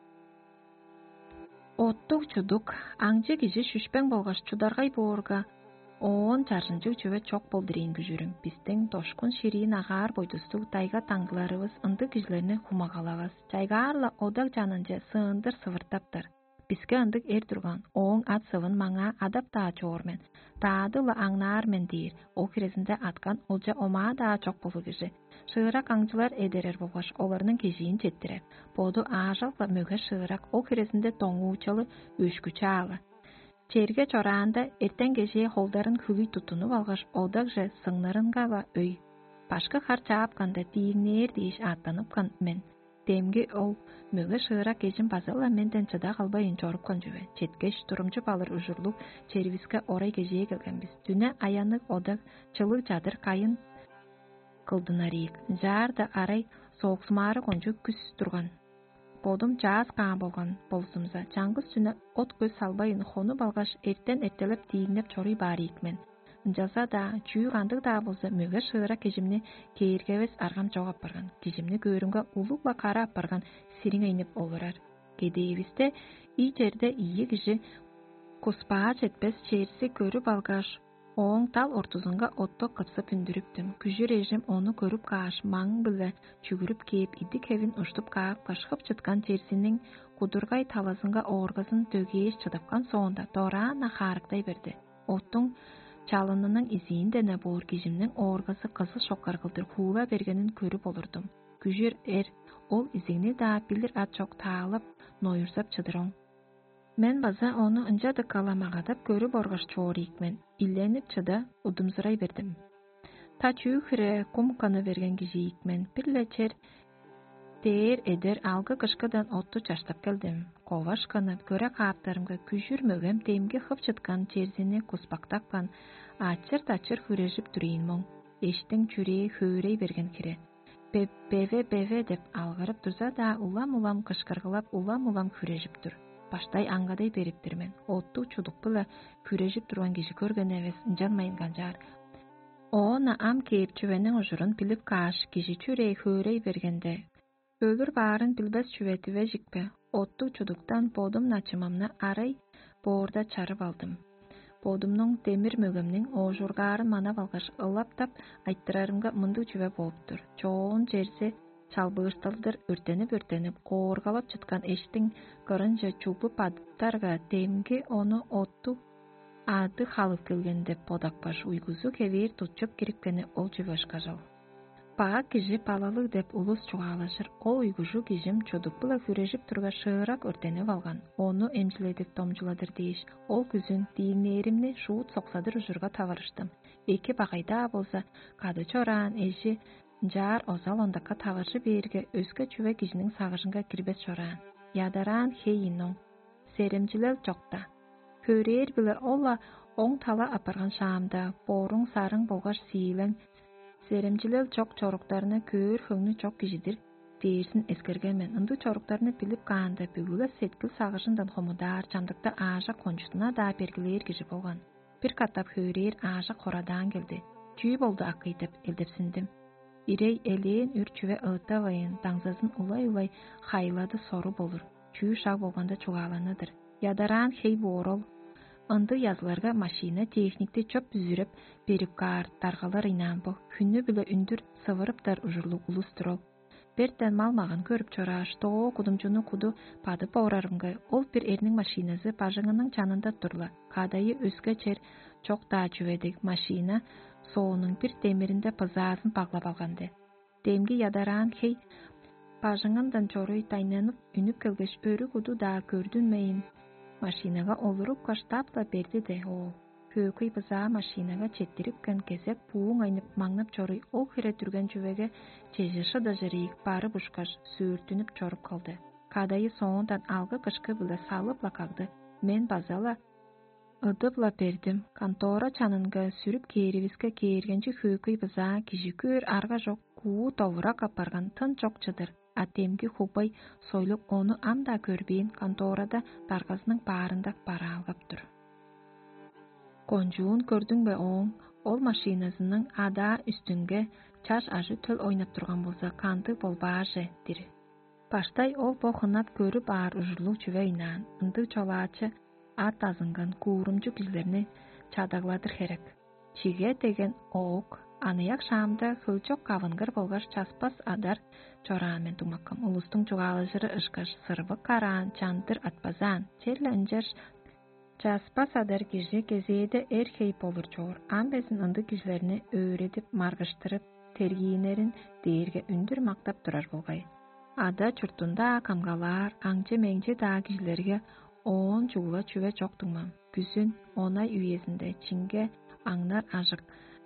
Оттуг-чудуг, аңчы кижи шүшпең болгаш чударгай боорга, оон чаржынчыг чүве чок болдур ийин күжүрүм. Бистиң дошкун шириин агаар бойдустуг дайга даңгыларывыс ындыг кижилерни хумагалавас. Чайгаар-ла одаг чанынче сыындыр сывыртаптар. Биске ындыг эр турган, ооң ат-сывын маңаа адап-даа чоор мен, даады-ла аңнаар мен дээр, ол хирезинде аткан олча омаа-даа чок болур кижи. Шыырак аңчылар эдерер болгаш оларның кежиин четтирер. Боду аажак-ла мөге шыырак, ол хирезинде доңуучалы, өшкү чаалы. Черге чораанда, эртен кежээ холдарын хүлүй туттунуп алгаш, одагже сыңнырынга-ла өй. Башкы хар чаапканда, дииңнээр дээш ааттаныпкан мен. Демги ол мөге шыырак эжим база-ла менден чыда калбайн чорупкан чүве. Четкеш, турумчуп алыр ужурлуг черивиске орай кежээ келген бис. Дүне аянныг одаг, чылыг чадыр кайын кылдынар ийик. Ынчаарда арай сооксумаары кончуг күс турган. Бодум чааз каан болган болзумза, чаңгыс чүнү от-көс салбайн хонуп алгаш, эртен эртелеп дииңнеп чоруй баар ийик мен. Ынчалза-даа, чүү кандыг-даа болза, мөге шыырак кижимни кээргевес аргам чок апарган. Кижимни көөрүмге, улуг-ла кара апарган сириңейнип олурар. Кедээвисте ий черде ийи кижи куспаа четпес черзи көрүп алгаш, ооң дал ортузунга отту кыпсып үндүрүптүм. Күжүр эжим ону көрүп кааш, маң-биле чүгүрүп кээп, идик-хевин уштуп каапкаш, хып чыткан черзиниң кудургай талазынга ооргазын дөгээс чыдыпкан соонда, дораан-на хаарыктай берди. Оттуң чалынының изиинден-не боор кижимниң ооргазы кызыл шокар кылдыр хуула бергенин көрүп олурдум. Күжүр эр ол изигни-даа билир ат чок таалап, ноюрзап чыдыр оң. Мен база ону ынча дыка-ла магадап көрүп оргаш чоор ийик мен, иленип чыда удумзурай бердим. Та чүү хире кум кыны берген кижи ийик мен, бир-ле чер дээр эдер алгы кышкыдан отту чаштап келдим. Коваш кыны көре кааптарымга, күжүр мөгем демги хып чыткан черзини куспактапкан, ачыр-дачыр хүрежип тур ийин моң. Эштиң чүрээ хөөрей берген хире. «Бе-, беве, беве» деп алгырып турза-даа, улам-улам кышкыргылап, улам-улам хүрежип тур. Баштай аңгыдай берип-тир мен. Оттуг чудук-биле хүрежип турган кижи көрген эвес, ынчанмайн канчаар. Оон-на ам кээп чүвениң ужурун билип кааш, кижи чүрээ хөөрей бергенде, өлүр баарын билбес чүве дивежикпе, оттуг чудуктан бодум начымамны арай боорда чарып алдым. Бодумнуң демир мөгемниң оожургаарын манап алгаш, ылаптап айтырарымга, мындыг чүве болуп-тур: чоон черзи чалбыышталдыр өртенип-өртенип, кооргалап чыткан эштиң кырынче чугуп адыптарга, демги ону оттуг ады халып келген деп бодапкаш, уйгузу хевээр тутчуп кирипкени ол чүве ышкажыл. Бак кижи балалыг деп улус чугаалажыр, ол уйгужу кижим чудук-биле хүрежип тургаш, шыырак өртенип алган, ону эмчиледип домчуладыр дээш, ол күзүн дииңнээримни шуут соксадыр ужурга таварыштым. Эки багай-даа болза, кады чораан эжи ынчаар озал ондакка таваржы бээрге, өске чүве кижиниң сагыжынга кирбес чораан. Ядараан хей ийин оң. Серемчилел чокта. Хөөрээр-биле ол-ла оң тала апарган шаамда, боруң-сарың болгаш сиилең, серемчилел чок чоруктарны көөр хөңнү чок кижи-дир дээрзин эскерген мен. Ындыг чоруктарны билип каанда, бүгү-ле сеткил-сагыжындан хомудаар, чамдыкта аажок кончуттуна-даа бергилээр кижи болган. Бир катап хөөрээр аажок хорадаан келди. «Чүү болду, акый?» — деп элдепсиндим. Ирей элээн үр чүве ыыттавайн, даңзазын улай-улай хайлады сору болур, чүү шаг болганда чугааланы-дыр. Ядараан хей боор ол. Ындыг языларга машина техникти чоп бүзүреп берип каар даргалар ыйнаан бо. Хүннү-биле үндүр сывырыптар ужурлуг улус-тур ол. Бертен мал-маган көрүп чорааш, доо кудумчуну куду бадып орарымга, ол бир эрниң машиназы бажыңының чанында тур-ла, кадайы өске чер чок-даа чүве дег, машина соонуң бир демиринде бызаазын баглап алган-дыр. Демги ядараан хей бажыңындан чоруй дайнанып үнүп келгеш, өрү куду-даа көрдүнмейн, машинага олурупкаш, тап-ла берди-де, оол. Хөөкүй бызаа машинага четтирипкен кезек бууң айнып, маңнап чоруй, ол хире дүрген чүвеге чеже шыдажыр ийик барып ушкаш, сөөртүнүп чоруп калды. Кадайы соондан алгы-кышкы-биле салып-ла кагды. Мен база-ла ыдып-ла бердим. Контора чанынга сүрүп кээривиске, кээргенчи хөөкүй бызаа, кижи көөр арга чок, куу довурак апарган, тын чок чыдыр, а демги хугбай сойлуг ону ам-даа көрбээн, конторада даргазының баарында бараалгап тур. Кончуун көрдүң бе ооң? Ол машиназының адаа үстүнге чаш ажы-төл ойнап турган болза, кандыг болбааже-дир. Баштай ол бо хынап көрүп аар ужурлуг чүве ыйнаан, ындыг чолаачы ат азынган куурумчу кижилерни чадагладыр херек. Чиге деген оок Аныяк шаамда хөлчок кавынгыр болгаш часпас адар чораан мен дуңмаккам. Улустуң чугаалажыры ышкаш сырвык караан, чандыр атпазаан. Черле ынчаш часпас адар кижи кезээде эр хей болур чоор. Ам безин ындыг кижилерни өөредип, маргыштырып, тергииннерин дээрге үндүр мактап турар болгай. Ада чуртунда камгалаар, аңчы-меңчи-даа кижилерге оон чугула чүве чок дуңмам. Күзүн, онай үезинде чинге аңнар ажык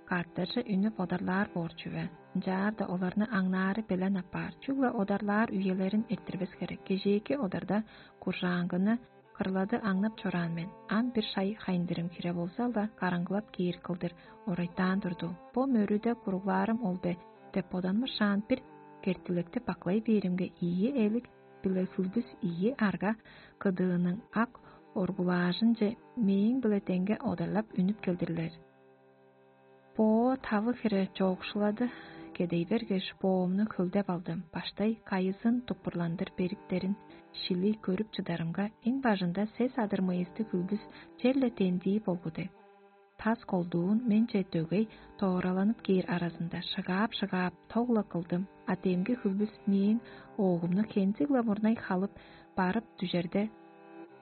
каартажы үнүп одарлаар боор чүве. Ынчаарда оларны аңнаары белен апаар, чүгле одарлаар үелерин эрттирбес херек. Кежээки одарда куржаангыны кырлады аңнап чораан мен. Ам бир шай хайындырым хире болза-ла, караңгылап кээр кылдыр орайтаан турду. Бо мөрүде куруглаарым ол бе деп боданмышаан, бир кертилекти баклай бээримге, ийи элик биле хүлбүс ийи арга кыдыының ак оргулаажынче мээң-биле деңге одарлап үнүп келдирлер. Бо тавы хире чоокшулады кедей бергеш, боомну хөлдеп алдым. Баштай кайызын туппурландыр бериктерин шилий көрүп чыдарымга, эң бажында сес адыр мыйысты хүлбүс черле тендии болгу дег. Тас колдуун менче дөгей тоораланып кээр аразында шыгаап-шыгаап, тог-ла кылдым, а демги хүлбүс мээң оогумну хензиг-ла мурнай халып барып дүжерде,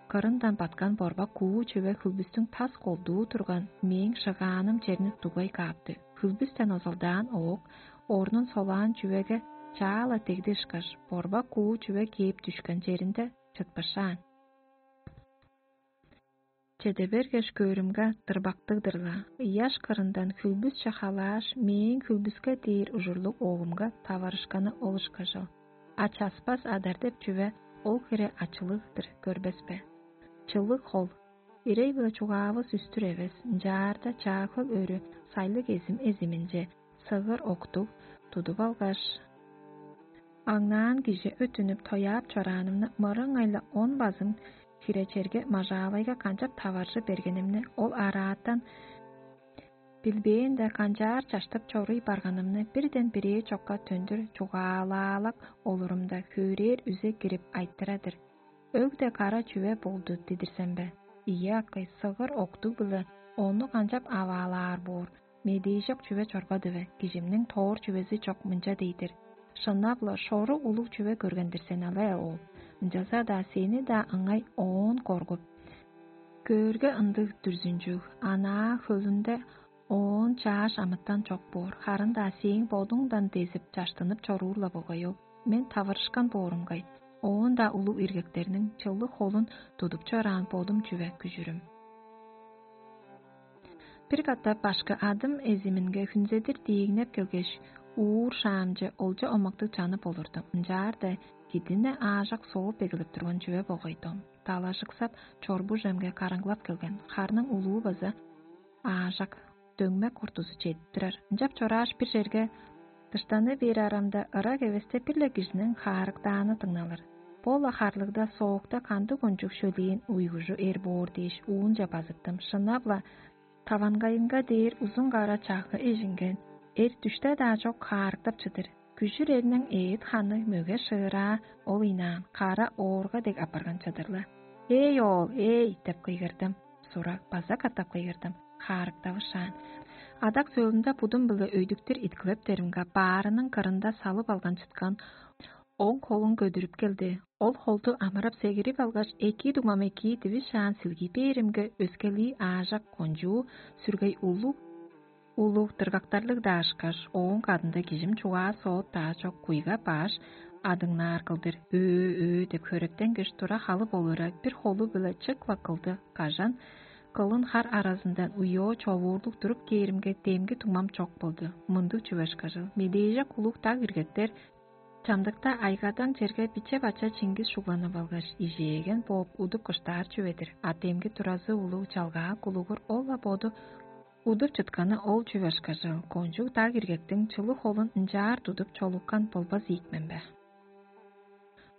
кырындан баткан борбак куу чүве хүлбүстүң тас колдуу турган мээң шыгааным черни дугай каапты. Хүлбүстен озалдаан оок орнун солаан чүвеге чаала дегди ышкаш, борбак куу чүве кээп дүшкен черинде чытпышаан. Чеде бергеш көөрүмге, дырбактыг-дыр-ла, ыяш кырындан хүлбүсче халааш, мээң хүлбүске дээр ужурлуг оогумга таварышканы ол ышкажыл. А часпас адар деп чүве ол хире ачылыг-дыр, көрбес бе? Чылыг хол, ирей-биле чугаавыс үстүр эвес, ынчаарда чаа хөл өрү сайлыг эзим эзиминче сыгыр октуг тудуп алгаш, аңнаан кижи өттүнүп тояап чораанымны мырыңай-ла он базым хире черге мажаавайга канчап таваржы бергенимни, ол араатан билбээн-даа канчаар чаштып чоруй барганымны бирден бирээ чокка төндүр чугаалаалак олурумда хөөрээр үзе кирип айтыра-дыр. Өг-де кара чүве болду дидирсем бе? Ийе, акый, сыгыр октуг-биле ону канчап аваалаар боор? Медээжок чүве чорбады бе? Кижимниң тоор чүвези чок мынча дей-дир: «Шынап-ла, шору улуг чүве көрген-дир сен але, оол. Ынчалза-даа сени-даа ыңай оон коргуп, көөрге ындыг дүрзүнчүг, анаа хөлүнде оон чааш амытан чок боор, харын-даа сээң бодуңдан дезип, чаштынып чоруур-ла болгай ол». Мен таварышкан боорумгай, оон-даа улуг иргектерниң чылыг холун тудуп чораан бодум чүве күжүрүм. Бир катап башкы адым эзиминге хүнзедир диигнеп келгеш, уур шаамче олча омактыг чанып олурдум. Ынчаарда кидине аажак сооп эгелеп турган чүве болгай дом. Далажыксап, чорбужемге караңгылап келген, харның улуу база аажак дөңмек куртузу чедип турар. Ынчап чорааш, бир черге дыштаны бээр арамда, ырак эвесте бир-ле кижиниң хаарыктааны дыңналыр. Бо-ла харлыгда соокта кандыг кончуг шөлээн уйгужу эр боор дээш, уунче базыттым. Шынап-ла, таванкайынга дээр узун кара чагы эжинген, эр дүште-даа чок хаарыктап чыдыр. Күжүр эрниң эът ханы мөге шыыраа ол ыйнаан, кара оорга дег апарган чыдыр-ла. «Эй, оол, эй!» — деп кыйгырдым. Сурак база катап кыйгырдым, хаарыктавышаан. Адак сөөлүнде будум-биле өйдүктүр иткилептеримге, баарының кырында салып алган чыткан оң холун көдүрүп келди. Ол холду амырап сегирип алгаш, эки дуңмам эки дивишаан силгий бээримге, өскелии аажак кончуу сүргей улуг улуг дыргактарлыг-даа ышкаш, ооң кадында кижим чугаа соот-даа чок куйга баш адыңнаар кылдыр «Өө-өө» деп хөректенгеш тура халып олура, бир холу-биле чык-ла кылды кажан, кылын хар аразындан уйоо човуурлуг туруп кээримге, демги дуңмам чок болду. Мындыг чүве ышкажыл: медээжек улуг даг иргектер чамдыкта айгадаң черге биче-бача чингис шугланып алгаш, ижээген бооп удуп кыштаар чүве-дир. А демги туразы улуг чалгаа кулугур ол-ла боду удуп чытканы ол чүве ышкажыл: кончуг даг иргектиң чылыг холун ынчаар тудуп чолупкан болбас ийик мен бе?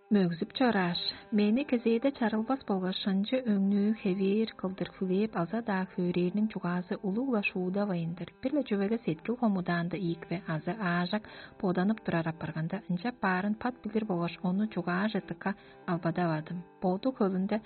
Мөгзүп чорааш, мени кезээде чарылбас болгаш шынчы өңнүү хевээр кылдыр хүлээп алза-даа, хөөрээрниң чугаазы улуг-ла шуудавайн-дыр. Бир-ле чүвеге сеткил хомудаанда ийик бе азы аажак боданып турар апарганда, ынчап баарын пат билир болгаш ону чугааже дыка албадавадым. Боду хөлүнде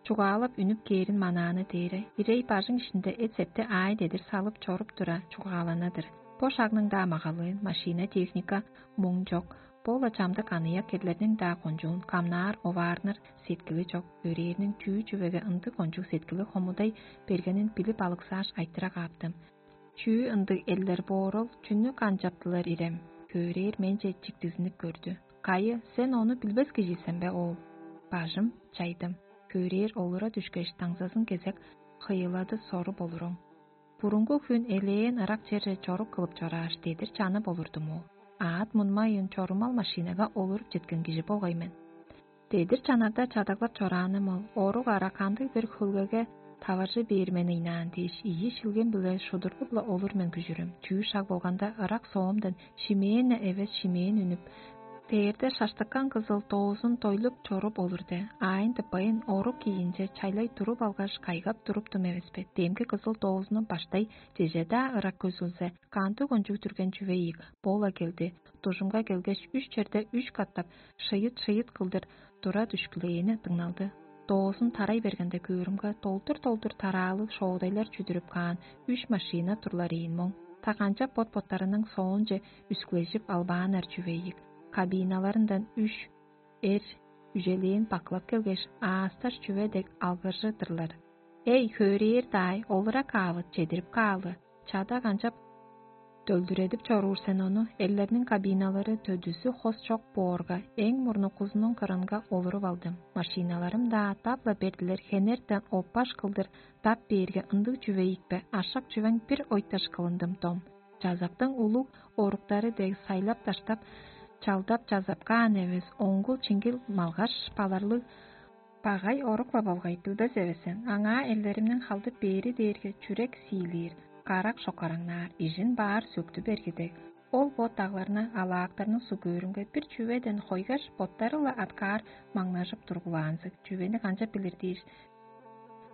чугаалап үнүп кээрин манааны дээре, ирей бажың иштинде эт-септи аай-дедир салып чоруп тура чугаалана-дыр. Бо шагның-даа магалыын, машина-техника муң чок, бо-ла чамдык аныяк керлерниң-даа кончуун камнаар оваарныр сеткили чок, өрээрниң чүү чүвеге ындыг кончуг сеткили хомудай бергенин билип алыксааш айтыра кааптым. Чүү ындыг элдер боорул, чүнү канчаптылар ирем? Хөөрээр менче чиктизинип көрдү. Кайы, сен ону билбес кижи сен бе, оол? Бажым, чайдым. Хөөрээр олура дүшкеш, даңзазын кезек хыйылады соруп олуруң. Бурунгу хүн элээн ырак черже чорук кылып чорааш, дедир чанып олурдум ол. Аът мунмайын чорумал машинага олуруп четкен кижи болгай мен. Дедир чанарда чадаглап чораанымыл, орук ара кандыг-бир хөлгеге таваржы бээр мен ыйнаан дээш, ийи шилгем-биле шудургу-биле олур мен күжүрүм. Чүү шаг болганда ырак соомдан шимээн-не эвес шимээн үнүп, дээрде шаштыккан кызыл доозун дойлуп чоруп олурде, аайын тыппайын орук кийинче чайлай туруп алгаш, кайгап туруптум эвеспе. Демги кызыл доозунум баштай чеже-даа ырак көзүлзе, кандыг кончуг дүрген чүве ийик, бо-ла келди. Дужумга келгеш, үш черде үш катап шыйыт-шыйыт кылдыр тура дүшкүлээни дыңналды. Доозун тарай бергенде көөрүмге, долдур-долдур тараалыг шоодайлар чүдүрүп каан үш машина турлар ийин моң. Та канчап бот-боттарының соонче үскүлежип албааннар чүве ийик. Кабиналарындан үш эр үжелээн бакылап келгеш, аасташ чүве дег алгыржы-дырлар. «Эй, хөөрээр даай, олура каавыт, чедирип каалы, чада канчап дөлдүредип чоруур сен ону?» Эллерниң кабиналары төдүзү хос чок боорга, эң мурнукузунуң кырынга олуруп алдым. Машиналарым-даа тап-ла бердилер, хенертен оппаш кылдыр дап бээрге, ындыг чүве ийикпе, ашак чүвең бир ойташ кылындым дом. Чазактың улуг оруктары дег сайлап-даштап, чалдап чазап каан эвес, оңгул-чиңгил малгаш, баларлыг багай орук-ла болгай билбес эвес сен. Аңаа эллеримниң халдып бээри дээрге чүрек сиилээр, карак шокараңнаар, ижин баар сөктү берги дег. Ол бо дагларны, алаактарны сугөөрүнге бир чүведен хойгаш, боттары-ла аткаар маңнажып тургулаанзыг. Чүвени канчап билир дээш,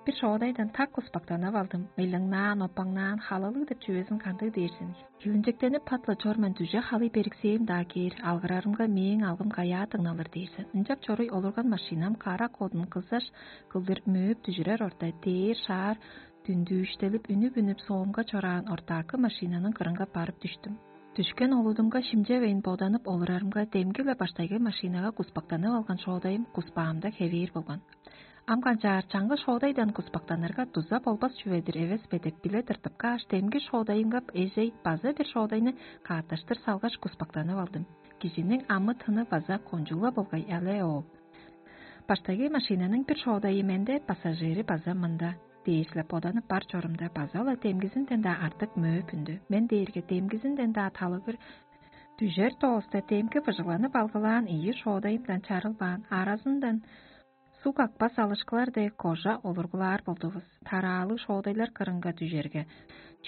бир шоодайдан так куспактанып алдым. Ылыңнаан, опаңнаан, халалыг деп чүвезин кандыг дээр сен? Хилинчектенип пат-ла чор мен, дүже халый бериксээм-даа кээр, алгырарымга мээң алгым каяа дыңналыр дээр сен. Ынчап чоруй олурган машинам карак одун кызаш кылдыр мөөп дүжүрер орта, дээр шаар дүндүүштелип үнүп-үнүп соомга чораан ортаакы машинаның кырынга барып дүштүм. Дүшкен олудумга шимчевейн боданып олурарымга, демги-ле баштайгы машинага куспактанып алган шоодайым куспаамда хевээр болган. Ам канчаар, чаңгыс шоодайдан куспактанырга дуза болбас чүве-дир эвес бе деп биле тыртып кааш, демги шоодайымга эжей база бир шоодайны каарташтыр салгаш, куспактанып алдым. Кижиниң амы-тыны база кончуг-ла болгай але оол. Баштайгы машинаның бир шоодайы менде, пассажири база мында дээш-ле боданып бар чорумда, база-ла демгизинден-даа артык мөөп үндү. Мен дээрге демгизинден-даа талыгыр дүжер дооста, демги быжыгланып алгылаан ийи шоодайымдан чарылбаан, аразындан суг акпас алышкылар дег кожа олургулаар болдувус. Тараалыг шоодайлар кырынга дүжерге,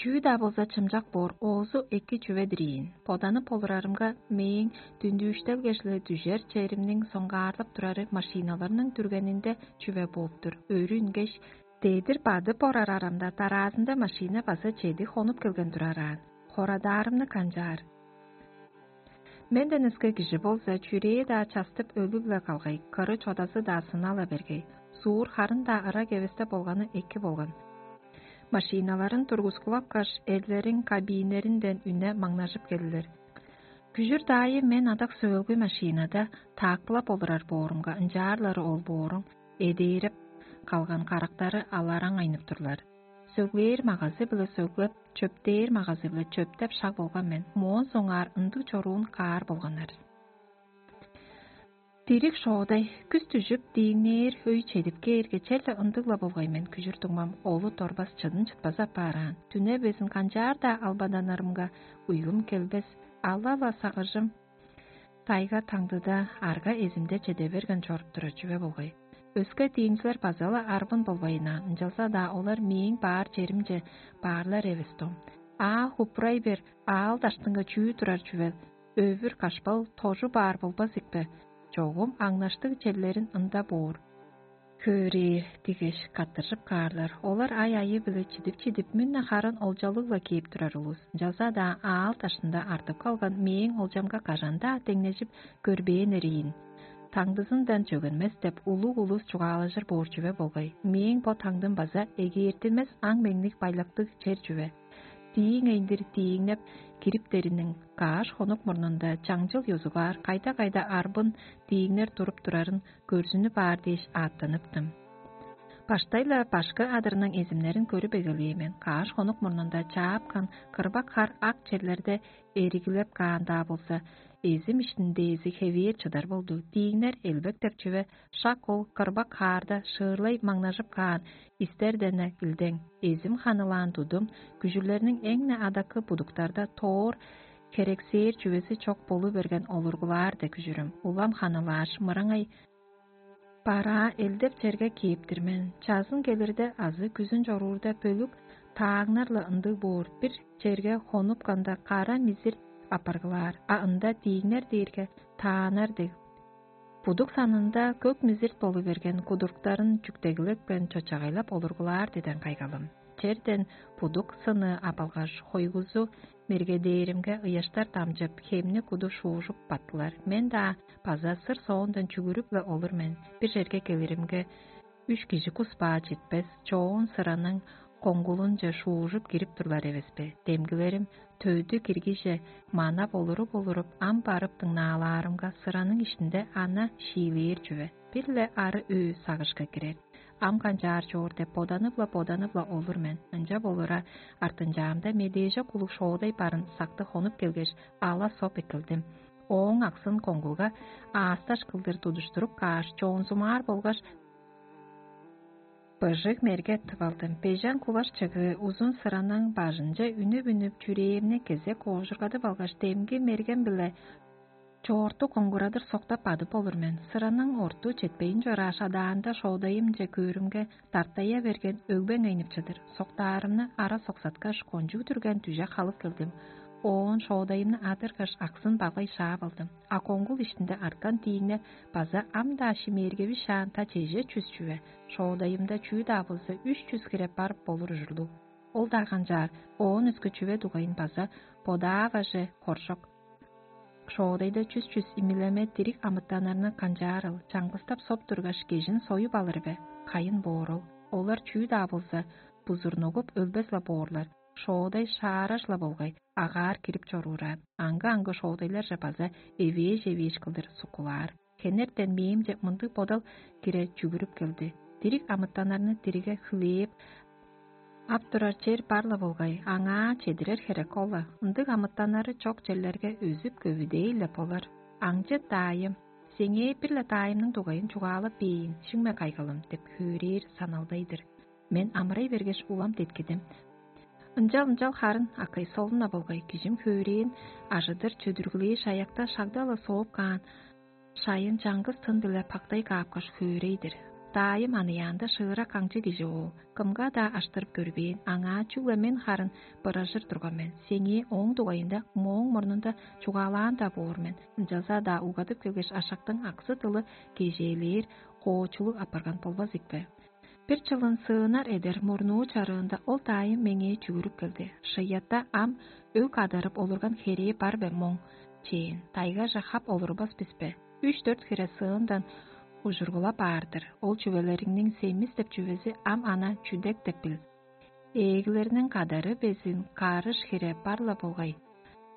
чүү-даа болза чымчак боор, оозу эки чүве-дир ийин. Боданып олурарымга, мээң дүндүүштелгеш-ле дүжер черимниң соңгаарлап турары машиналарның дүргенинде чүве бооп-тур. Өрү үнгеш, дедир бадып орар арамда, дараазында машина база чеди хонуп келген турараан. Хорадаарымны канчаар? Менден өске кижи болза, чүрээ-даа частып, өлүг-ле калгай, кыры-чодазы-даа сына-ла бергей. Суур харын-даа ырак эвесте болганы эки болган. Машиналарын тургускулапкаш, эрлериң кабинеринден үне маңнажып келдилер. Күжүр даайы мен адак сөөлгү машинада таакпылап олурар боорумга, ынчаарлары ол бооруң эдээреп калган карактары алараң айнып турлар. Сөглээр магазы-биле сөглеп, чөптээр магазы-биле чөптеп шаг болган мен. Моон соңгаар ындыг чоруун каар болганнар. Дириг шоодай, күс дүжүп, дииңнээр өй чедип кээрге, черле ындыг-ла болгай мен күжүр дуңмам, олу дорбас чыдын чытпазы аппаараан. Дүне безин канчаар-даа албаданарымга, уйгум келбес, ала-ла сагыжым тайга таңдыда арга эзимде чеде берген чоруп турар чүве болгай. Өске дииңчилер база-ла арбын болбайынаан, ынчалза-даа олар мээң баар черимче баарлар эвес дом. Аа хупурай бер, аал даштынга чүү турар чүвел, өвүр кашпал тожу баар болбас икпе? Чогум аңнаштыг черлерин ында боор. Хөөрээр дигеш каттыржып каарлар. Олар ай-айы-биле чидип-чидип, мүн-на харын олчалыг-ла кээп турар улус. Ынчалза-даа аал дашында артып калган мээң олчамга кажан-даа деңнежип көрбээн эриин. Таңдызындан чөгенмес деп улуг улус чугаалажыр боор чүве болгай. Мээң бо таңдым база эгээртинмес аң-меңниг байлактыг чер чүве. Дииң эйндир дииңнеп, кириптериниң кааш хонук мурнунда чаңчыл ёзугаар кайда-кайда арбын дииңнер туруп турарын көрзүнүп аар дээш ааттаныптым. Баштай-ла башкы адырның эзимнерин көрүп эгелээн мен. Кааш хонук мурнунда чаапкан кырбак хар ак черлерде эригилеп каан-даа болза, эзим иштиндээзи хевээр чыдар болду. Дииңнер элбек деп чүве шак ол кырбак хаарда шыырлай маңнажып каан истерден-не илдең, эзим ханылаан тудум, күжүрлерниң эң-не адакы будуктарда тоор херексээр чүвези чок болу берген олургулаар дег күжүрүм. Улам ханылааш, мыраңай бараа элдеп черге кээп-тир мен. Чазын келирде азы күзүн чоруурда бөлүк тааңнар-ла ындыг боор, бир черге хонупканда кара мизир апаргылаар, а ында дииңнер дээрге таанар дег. Будук санында көк мизирт болу берген кудуртуктарын чүктегилепкен чочагайлап олургулаар диден кайгалым. Черден будук сыны апалгаш, хойгузу мергедээримге ыяштар дамчып, хемни куду шуужуп баттылар. Мен-даа база сыр соондан чүгүрүп-ле олур мен. Бир черге келиримге, үш кижи кус баа четпес, чоон сыраның коңгулунче шуужуп кирип турлар эвеспе? Демгилерим төдү киргиже манап олуруп-олуруп, ам барып дыңнаалаарымга, сыраның иштинде ана шиилээр чүве, бир-ле ары өө сагышка кирер. Ам канчаар чоор деп боданып-ла, боданып-ла олур мен. Ынча болура, артынчаамда медээже кулуг шоодай барын сакты хонуп келгеш, ала соп эккелдим. Ооң аксын коңгулга аасташ кылдыр тудуштуруп кааш, чоонзумаар болгаш, быжыг мерге тып алдым. Бежен куваш чыгыы узун сыраның бажынче үнүп-үнүп, чүрээмни кезек оожургадып алгаш, демги мергем-биле чоорту коңгурадыр соктап бадып олур мен. Сыраның орту четпейн чорааш, адаанда шоодайымче көөрүмге, дартая берген өгбең айнып чыдыр. Соктаарымны ара соксаткаш, кончуг түрген дүже халып келдим. Оон шоодайымны адыргаш, аксын багай шаап алдым. А коңгул иштинде арткан дииңне база ам-даа шимээргеви шаан та чеже чүс чүве. Шоодайымда чүү-даа болза, үш чүс хире бар болур ужурлуг. Ол-даа канчаар, оон өске чүве дугайын база бодааваже хоржок. Шоодайда чүс-чүс имилеме дириг амытаннарны канчаарыл, чаңгыстап соп тургаш, кежин союп алыр бе? Кайын боор ол. Олар чүү-даа болза, бузурнугуп өлбес-ла боорлар. Шоодай шаараш-ла болгай, агаар кирип чоруураа. Аңгы-аңгы шоодайларже база эвээш-эвээш кылдыр суккулаар. Хенертен мээңче мындыг бодал кире чүгүрүп келди. Дириг амытаннарны дириге хүлээп ап турар чер бар-ла болгай, аңаа чедирер херек ол-ла. Ындыг амытаннары чок черлерге өзүп көвүдей-ле болар. Аңчы даайым, сеңээ бир-ле даайымның дугайын чугаалап бээйн, шиңме кайгалым деп хөөрээр саналдай-дыр. Мен амырай бергеш, улам деткидим. Ынчал-ынчал харын акай солун-на болгай, кижим хөөрээн ажыдыр чөдүргүлээ шаякта шагда-ла сооп каан шайын чаңгыс тын-биле пактай каапкаш хөөрей-дир. Даайым аныяанда шыырак аңчы кижи ол. Кымга-даа аштырып көрбээн, аңаа чүгле мен харын быражыр турган мен. Сеңээ ооң дугайында мооң мурнунда чугаалаан-даа боор мен. Ынчалза-даа угадып келгеш, ашактың аксы-дылы кежээлээр, коочулуг апарган болбас ийикпе? Бир чылын сыынар эдер мурнуу чарыында ол даайым меңээ чүгүрүп келди. Шыйатта ам өг адарып олурган херээ бар бе моң? Чээн, тайгаже хап олурбас бис бе? Үш-дөрт хире сыындан ужургулап аар-дыр. Ол чүвелериңниң семис деп чүвези ам ана чүдек деп бил. Ээглерниң кадары безин карыш хире бар-ла болгай.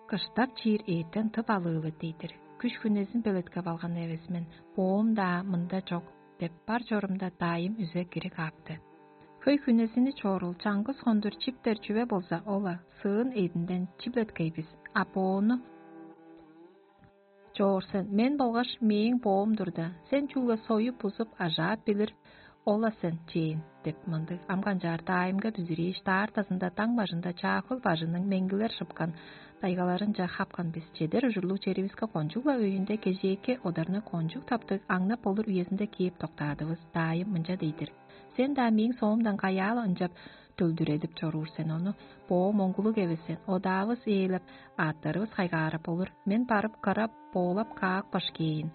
Кыштап чиир эъттен тып алыылы дей-дир. Күш-хүнезин белеткеп алган эвес мен, боом-даа мында чок деп бар чорумда даайым үзе кири каапты. Хөй-хүнезини чорул чаңгыс хондур чиптер чүве болза, ол-ла сыын эъдинден чиблеткей бис, а боону чоор сен, мен болгаш мээң боом турда, сен чүгле союп-бузуп, ажаап билир ол-ла сен, чээн деп мындыг. Ам канчаар даайымга бүзүрээш, даартазында даң бажында чаахыл бажының меңгилер шыпкан дайгаларынче хапкан бис. Чедер ужурлуг черивиске кончуг-ла өйүнде кежээки одарны кончуг таптыг аңнап болур үезинде кээп доктаадывыс. Даайым мынча дей-дир: «Сен-даа мээң соомдан каяа-ла ынчап төлдүредип чоруур сен ону? Боо моңгулуг эвес сен, одаавыс ээлеп, аъттарывыс хайгаарап болур. Мен барып кыра боолап каапкаш кээйн».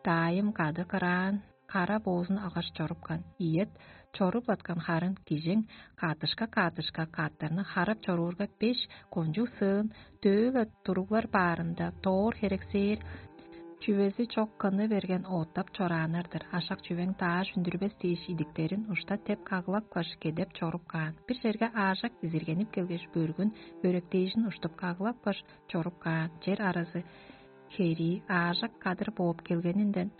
Даайым кады кыраан, кара боозун алгаш чорупкан. Ийет, чоруп-латкан харын кижиң каатышка-каатышка каъттарны харап чоруурга, беш кончуг сыын дөө-ла туруглар баарында доор херексээр Чүвези чок кыны берген оттап чорааннар-дыр. Ашак чүвең дааш үндүрбес дээш идиктерин ушта теп кагылапкаш, кедеп чоруп каан. Бир черге аажак изиргенип келгеш, бөргүн бөректээжин уштуп кагылапкаш, чоруп каан. Чер аразы херии аажак кадыр бооп келгенинден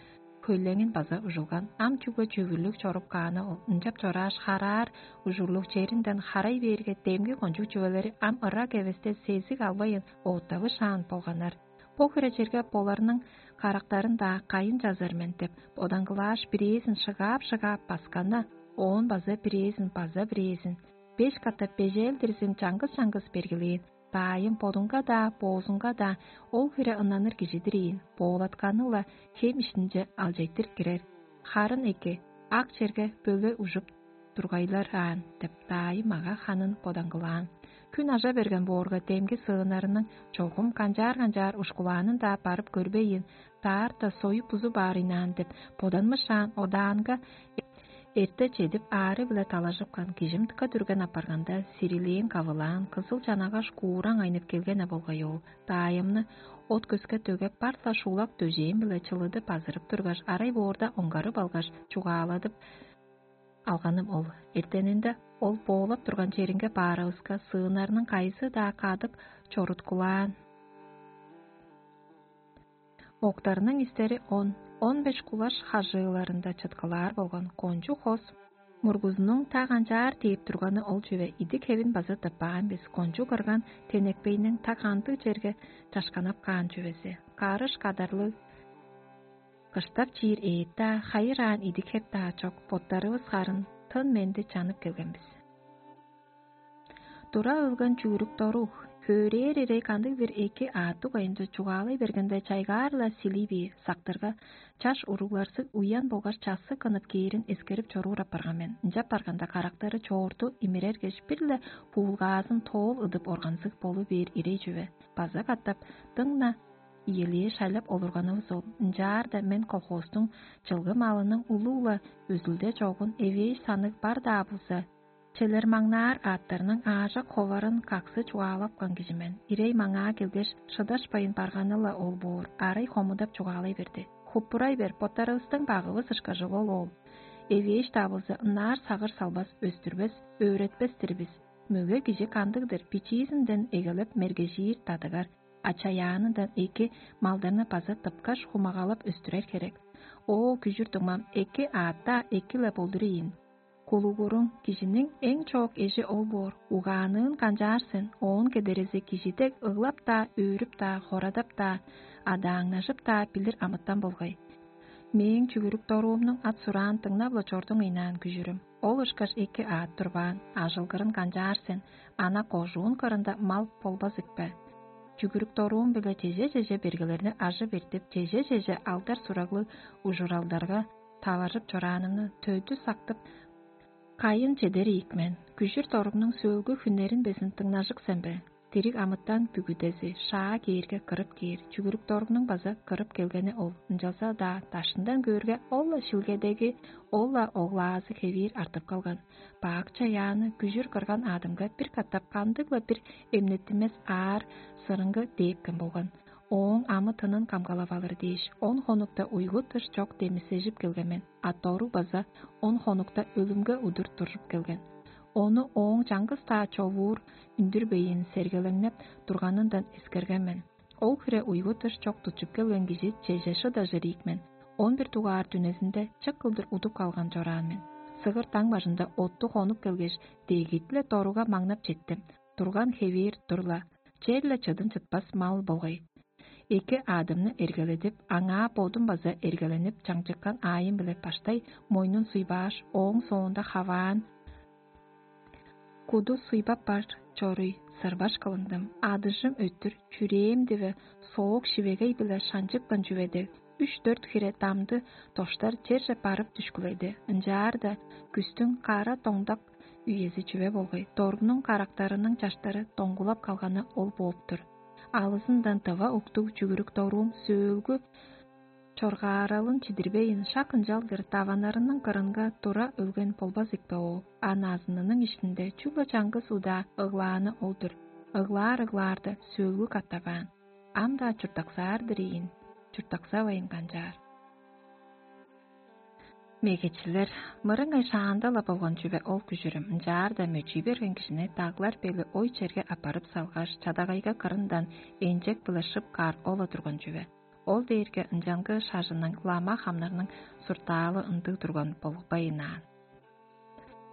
хөйлеңин база ужулган. Ам чүгле чүгүрлүг чоруп кааны ол. Ынчап чорааш, хараар ужурлуг черинден харай бээрге, демги кончуг чүвелери ам ырак эвесте сезиг албайын оттавышаан болганнар. Бо хире черге боларның карактарын-даа кайын чазар мен деп, бодаңгылааш, бирээзин шыгаап-шыгаап басканна, оон база бирээзин, база бирээзин, беш катап бежээлдирзин чаңгыс-чаңгыс бергилээн. Даайым бодунга-даа, боозунга-даа ол хире ыннаныр кижи-дир ийин, боолатканы-ла хем иштинче алчайтыр кирер. Харын эки, ак черге бөле ужуп тургайлар аан деп, даайым мага ханын бодаңгылаан. Күн ажа берген боорга, демги сыыннарының чогум канчаар-канчаар ушкулаанын-даа барып көрбейн, даарта союп бузу баар ыйнаан деп боданмышаан одаанга эрте чедип, аары-биле талажыпкан кижим дыка дүрген апарганда, сирилээн кавылаан, кызыл чанагаш куураң айнып келген-не болгай ол. Даайымны от көске төгеп, бар-ла шуулак дөжээн-биле чылыдып азырып тургаш, арай боорда оңгарып алгаш, чугааладып алганым ол. Эртенинде ол боолап турган черинге баарывыска, сыыннарның кайызы-даа кадык чоруткулаан. Октарның истери он, он беш кулаш хажыыларында чыткылаар болган кончуг хос мургузунуң та канчаар тээп турганы ол чүве. Идик хевин база тыппаан бис, кончуг кырган тенекпейниң та кандыг черге чашканап каан чүвези. Карыш кадарлыг кыштап чиир эът-даа, хайыраан идик хеп-даа чок, боттарывыс харын тын-менди чанып келген бис. Тура өлген чүгүрүк доруг, хөөрээр ирей кандыг-бир эки аъттыг оюнче чугаалай бергенде, чайгаар-ла силий бээр, сактырга, чаш уругларзы уян болгаш чассыг кынып кээрин эскерип чоруур апарган мен. Ынчап барганда, карактары чоорту имирергеш, бир-ле буулгаазын тоол ыдып органзыг болу бээр ирей чүве. База катап дыңна иелээ шайлап олурганывыс ол. Ынчаарда мен колхозтуң чылгы малының улуу-ла өзүлде чогун эвээш саныг бар-даа болза, челер маңнаар аъттарның аажак ховарын каксы чугаалапкан кижи мен. Ирей маңаа келгеш, шыдашпайн барганы-ла ол боор, арай хомудап чугаалай берди: «Хуппурай бер, боттарывыстың багывыс ышкажыл ол ол. Эвээш-даа болза, ынаар сагыш салбас, өстүрбес, өөретпес-тир бис. Мөге кижи кандыг-дыр, бичиизинден эгелеп мергежиир, дадыгар, а чаяанындан эки малдарны база тыпкаш, хумагалап өстүрер херек. Оо, күжүр дуңмам, эки аът-даа эки-ле болдур ийин. Кулугуруң кижиниң эң чоок эжи ол боор, угаанныын канчаар сен, оон кедерези кижи дег ыглап-даа, өөрүп-даа, хорадап-даа, адааңнажып-даа билир амытан болгай. Мээң чүгүрүк доруумнуң ат-сураан дыңнап-ла чордуң ыйнаан, күжүрүм. Ол ышкаш эки аът турбаан, ажылгырын канчаар сен, ана кожуун кырында мал болбас ийикпе?» Чүгүрүк доруум-биле чеже-чеже бергелерни ажып эртип, чеже-чеже алдар-сураглыг ужуралдарга таваржып чораанымны төдү сактып, кайын чедер ийик мен. Күжүр доругнуң сөөлгү хүннерин безин дыңнажык сен бе? Дириг амытан бүгүдези шаа кээрге кырып кээр, чүгүрүк доругнуң база кырып келгени ол. Ынчалза-даа дашындан көөрге, ол-ла шилгедеги, ол-ла оглаазы хевээр артып калган. Бак чаяаны күжүр кырган аъдымга бир катап кандыг-ла бир эмнеттинмес аар сырыңгы дээпкен болган. Ооң амы-тынын камгалап алыр дээш, он хонукта уйгу-дыш чок демисежип келген мен, а доруг база он хонукта өлүмге удур туржуп келген. Ону ооң чаңгыс-даа човуур үндүрбейн сергелеңнеп турганындан эскерген мен. Ол хире уйгу-дыш чок тутчуп келген кижи чеже шыдажыр ийик мен. Он бир дугаар дүнезинде чык кылдыр удуп калган чораан мен. Сыгыр даң бажында отту хонуп келгеш, дегит-ле доругга маңнап четтим. Турган хевээр тур-ла, черле чыдын чытпас мал болгай. Эки аъдымны эргеледип, аңаа бодум база эргеленип, чаңчыккан аайым-биле баштай мойнун суйбааш, ооң соонда хаваан куду суйбап бар чоруй сырбаш кылындым. Адыжым өттүр, чүрээм диве соок шивегей-биле шанчыпкан чүве дег, үш-дөрт хире дамды доштар черже барып дүшкүледи. Ынчаарда күстүң кара доңдак үези чүве болгай, доругнуң карактарының чаштары доңгулап калганы ол бооп-тур. Алызындан дыва уктуг чүгүрүк доруум сөөлгү чоргааралын чидирбейн, шак ынчалдыр даваннарының кырынга тура өлген болбас ийикпе ол? А назынының иштинде чүгле чаңгыс удаа ыглааны ол-дур. Ыглаар-ыглаарда сөөлгү катаваан. Ам-даа чурттаксаар-дыр ийин. чурттаксавайн канчаар. Мегечилер, мырыңай шаанда-ла болган чүве ол күжүрүм, ынчаарда мөчүй берген кижини даглар бели ой черге аппарып салгаш, чадагайга кырындан энчек-биле шып каар ол-ла турган чүве. Ол дээрге ынчангы шажынның лама хамнарның суртаалы ындыг турган болбайн аан.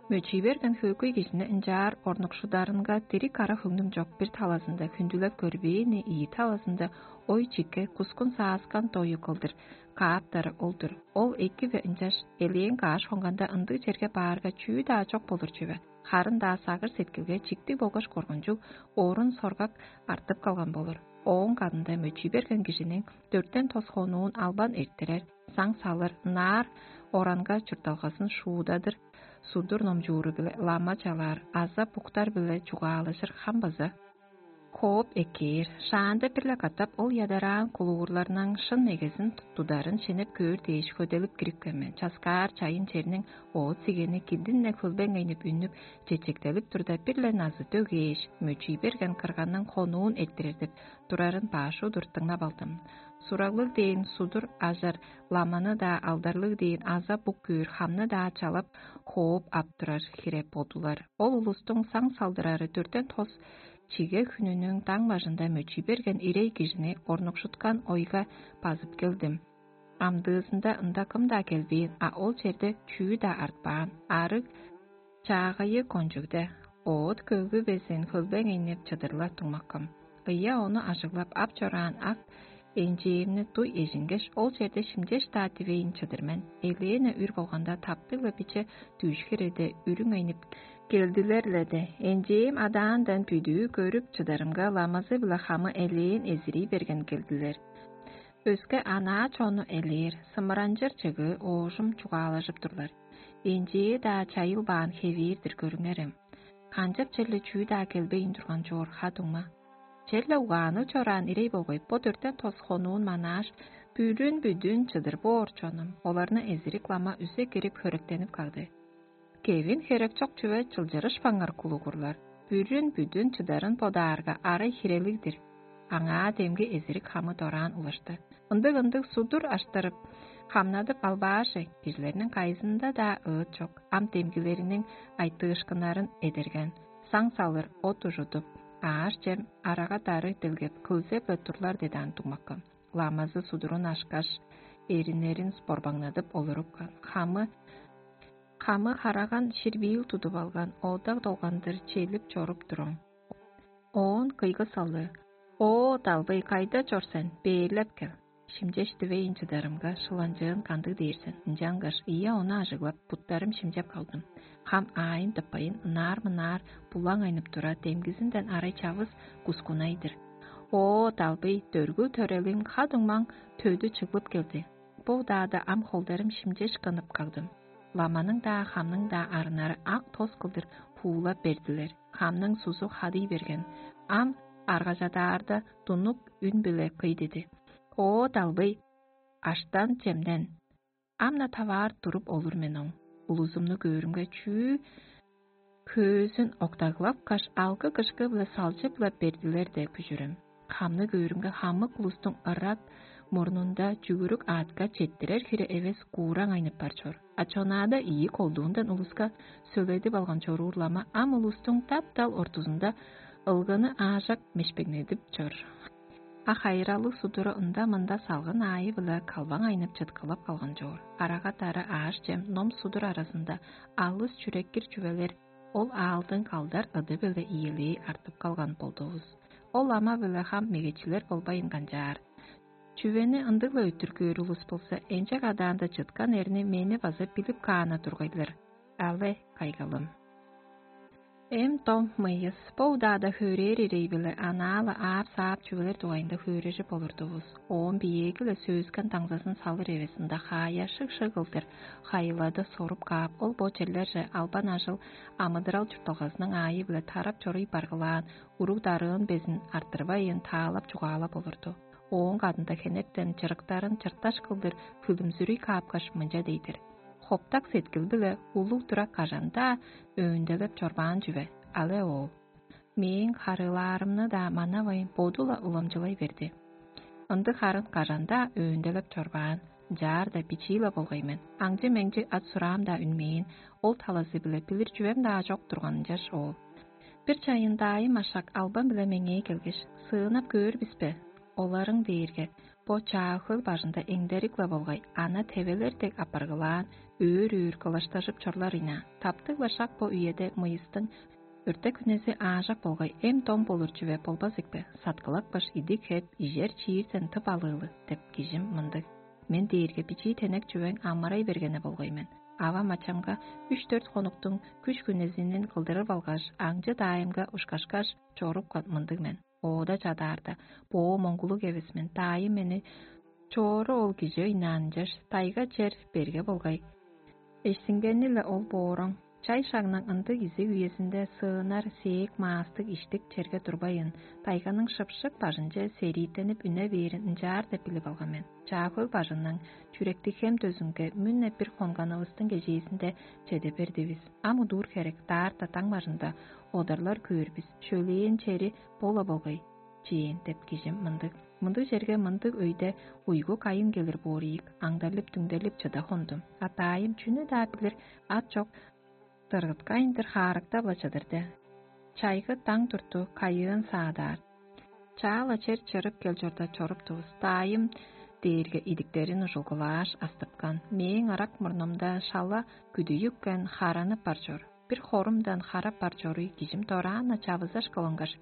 Мөчүй берген хөөгөй кижини ынчаар орнукшударынга дириг ара хөңнүм чок бир талазында хүндүлеп көрбээни ийи талазында ой чикке кускун сааскан дою кылдыр кааптары ол-дур. Ол эки-ве ынчаш элээн кааш хонганда ындыг черге баарга чүү-даа чок болур чүве. Харын-даа сагыр сеткилге чиктиг болгаш коргунчуг орун соргак артып калган болур. Ооң кадында мөчүй берген кижиниң дөртен тос хонуун албан эрттирер, саң салыр, ынаар оранга чуртталгазын шуудадыр, судур номчууру-биле лама чалаар аза буктар-биле чугаалажыр хам база кооп эккээр. Шаанда бир-ле катап ол ядараан кулугурларның шын мегезин тударын шенеп көөр дээш хөделип кирипкен мен. Часкаар чайын черниң оът сигени килдин-не хөлбеңейнип үннүп, чечектелип турда, бир-ле назы дөгээш, мөчүй берген кырганның хонуун эрттирер деп турарын баш удур дыңнап алдым. Сураглыг дээн судур ажар ламаны-даа, алдарлыг дээн аза бук көөр хамны-даа чалап, хооп ап турар хире бодулар. Ол улустуң саң салдырары дөртен тос чиге хүнүнүң даң бажында мөчүй берген ирей кижини орнукшуткан ойга базып келдим. Амдыызында ында кым-даа келбээн, а ол черде чүү-даа артпаан. Арыг чаагайы кончугда оът көвгү безин хөлбеңейнип чыдырла туңмаккым. Ыйа ону ажыглап ап чораан ак энчээвни дуй эжингеш, ол черде шимчеш-даа дивейн чыдыр мен. Элээне үр болганда таптыг-ла биче дүш хиреде үрүң айнып келдилер-ле де, энчээм адаандан бүдүү көрүп чыдарымга, ламазы-биле хамы элээн эзирий берген келдилер. Өске анаа чонну элээр, сымыранчыр чыгыы оожум чугаалажып турлар. Энчээ-даа чайылбаан хевээр-дир көрүңерем. Канчап черле чүү-даа келбейн турган чоор ха-дуңма. Черле угаанныг чораан ирей болгай бо дөртен тос хонуун манааш, бүрүн-бүдүн чыдыр боор чонум, оларны эзирик лама үзе кирип хөректенип кагды. Кевин херек чок чүве чылчырышпаңар кулугурлар, бүрүн-бүдүн чыдарын бодаарга арай хирелиг-дир. Аңаа демги эзирик хамы дораан улашты. Ындыг-ындыг судур аштырып, хамнадып албааже, кижилерниң кайызында-даа ыыт чок, ам демгилериниң айтыышкыннарын эдерген, саң салыр от ужудуп, ааш-чем, арага-дары делгеп, кылзеп-ле турлар дедаан дуңмаккан. Ламазы судурун ашкаш, эриннерин спорбаңнадып олурупкан. Хамы Хамы хараган ширбиил тудуп алган, ода долгандыр челип чоруп туруң. Оон кыйгы салыы: «О, далбый, кайда чор сен? Бээрлеп кел. Шимчеш дивейн чыдарымга, шыланчыын кандыг дээр сен?» Ынчангаш ийе ону ажыглап, буттарым шимчеп калдым. Хам аайын тыппайын, ынаар-мынаар булаң айнып тура, демгизинден арай чавыс кускунай-дыр. «О, далбый, дөргүл төрелиң ха-дуңмаң төдү чыглып келди. Бо удаада ам холдарым шимчеш кынып кагдым». Ламаның-даа, хамның-даа арыннары ак тос кылдыр пуулап бердилер. Хамның сузу хадый берген. Ам аргажадаарда, дунук үн-биле кый диди: «О, далбый, аштан-чемден, ам-на таваар туруп олур мен оң. Улузумну көөрүмге, чүү хөөзүн октаглапкаш, алгы-кышкы-биле салчып-ла бердилер-де, күжүрүм. Хамны көөрүмге, хамык улустуң ырак мурнунда чүгүрүк аътка четтирер хире эвес куураң айнып бар чор. А чонаада ийи колдуундан улуска сөледип алган чоруур лама ам улустуң дап-дал ортузунда ылганы аажак мешпегнедип чор. А хайыралыг судуру ында-мында салгын аайы-биле калбаң айнып чыткылап калган чоор. Арага-дары, ааш-чем, ном-судур аразында алыс чүреккир чүвелер ол аалдың калдар ыды-биле иелээ артып калган болдувус. Ол ама-биле хам мегечилер болбайн канчаар. Чүвени ындыг-ла өттүр көөр улус болза, энчек адаанда чыткан эрни мени база билип каан-на тургай-дыр. Але, кайгалым. Эм дом мыйыс, бо удаада хөөрээр ирей-биле анаа-ла аап-саап чүвелер дугайында хөөрежип олурдувус. Оон биеэги-ле сөөскен даңзазын салыр эвес ында хаая шыг-шыг кылдыр хайылады соруп каап, ол бо черлерже албан ажыл амыдырал чуртталгазының аайы-биле тарап чоруй баргылаан, уруг-дарыын безин арттырбайын таалап чугаалап олурду. Ооң кадында хенертен чырыктарын чырташ кылдыр хүлүмзүрүй каапкаш, мынча дей-дир: «Хоптак сеткил-биле улуг турак кажан-даа өөнделеп чорбаан чүве, але оол. Мээң харыылаарымны-даа манавайн, боду-ла уламчылай берди. Ындыг харын кажан-даа өөнделеп чорбаан, ынчаар-даа бичии-ле болгай мен, аңчы-меңчи ат-сураам-даа үнмээн, ол талазы-биле билир чүвем-даа чок турган ынчаш оол. Бир чайын даайым ашак албан-биле меңээ келгеш: «Сыынап көөр бис бе?» Оларың дээрге, бо чаа хөл бажында эңдерик-ле болгай, ана тевелер дег апаргылаан, өөр-өөр кылаштажып чорлар ийна. Таптыг-ла шак бо үеде мыйыстың өртек хүнези аажак болгай, эм-дом болур чүве болбас ийикпе, саткылакпаш идик хеп, ижер чиирден тып алыылы деп кижим мындыг. Мен дээрге бичии тенек чүвең амырай бергени болгай мен. Авам ачамга үш-дөрт хонуктуң күш-хүнезинин кылдырып алгаш, аңчы даайымга ушкашкаш, чорупкан мындыг мен. Оода чадаарда, боо моңгулуг эвес мен, даайым мени чоору ол кижи ыйнаанынчаш, тайга чер берге болгай. Эшсингени-ле ол боорам. Чай шагның ындыг изиг үезинде сыынар, сээк, маастыг, иштик черге турбайын, тайганың шыпшык бажынче серииттенип үне бээрин ынчаар деп билип алган мен. Чаа-Хөл бажының чүректиг хем дөзүнге мүнне бир хонганывыстың кежээзинде чеде бердивис. Ам удуур херек, даарта даң бажында одарлар көөр бис, шөлээн чери бо-ла болгай чээн деп кижим мындыг. Мындыг черге мындыг өйде уйгу кайын келир боор ийик, аңдарлып-түңдерлип чыда хондум. А даайым чүнү-даа билир ат чок, дыргыткайын-дыр хаарыктап-ла чыдырды. Чайгы даң турту кайыын саадаар. Чаала чер чырып кел чорда чоруптувус. Даайым дээрге идиктерин ужулгулааш астыпкан. Мээң ырак мурнумда шала күдүйүпкен, харанып бар чор. Бир хорумдан харап бар чоруй кижим дораан-на чавызаш кылынгаш,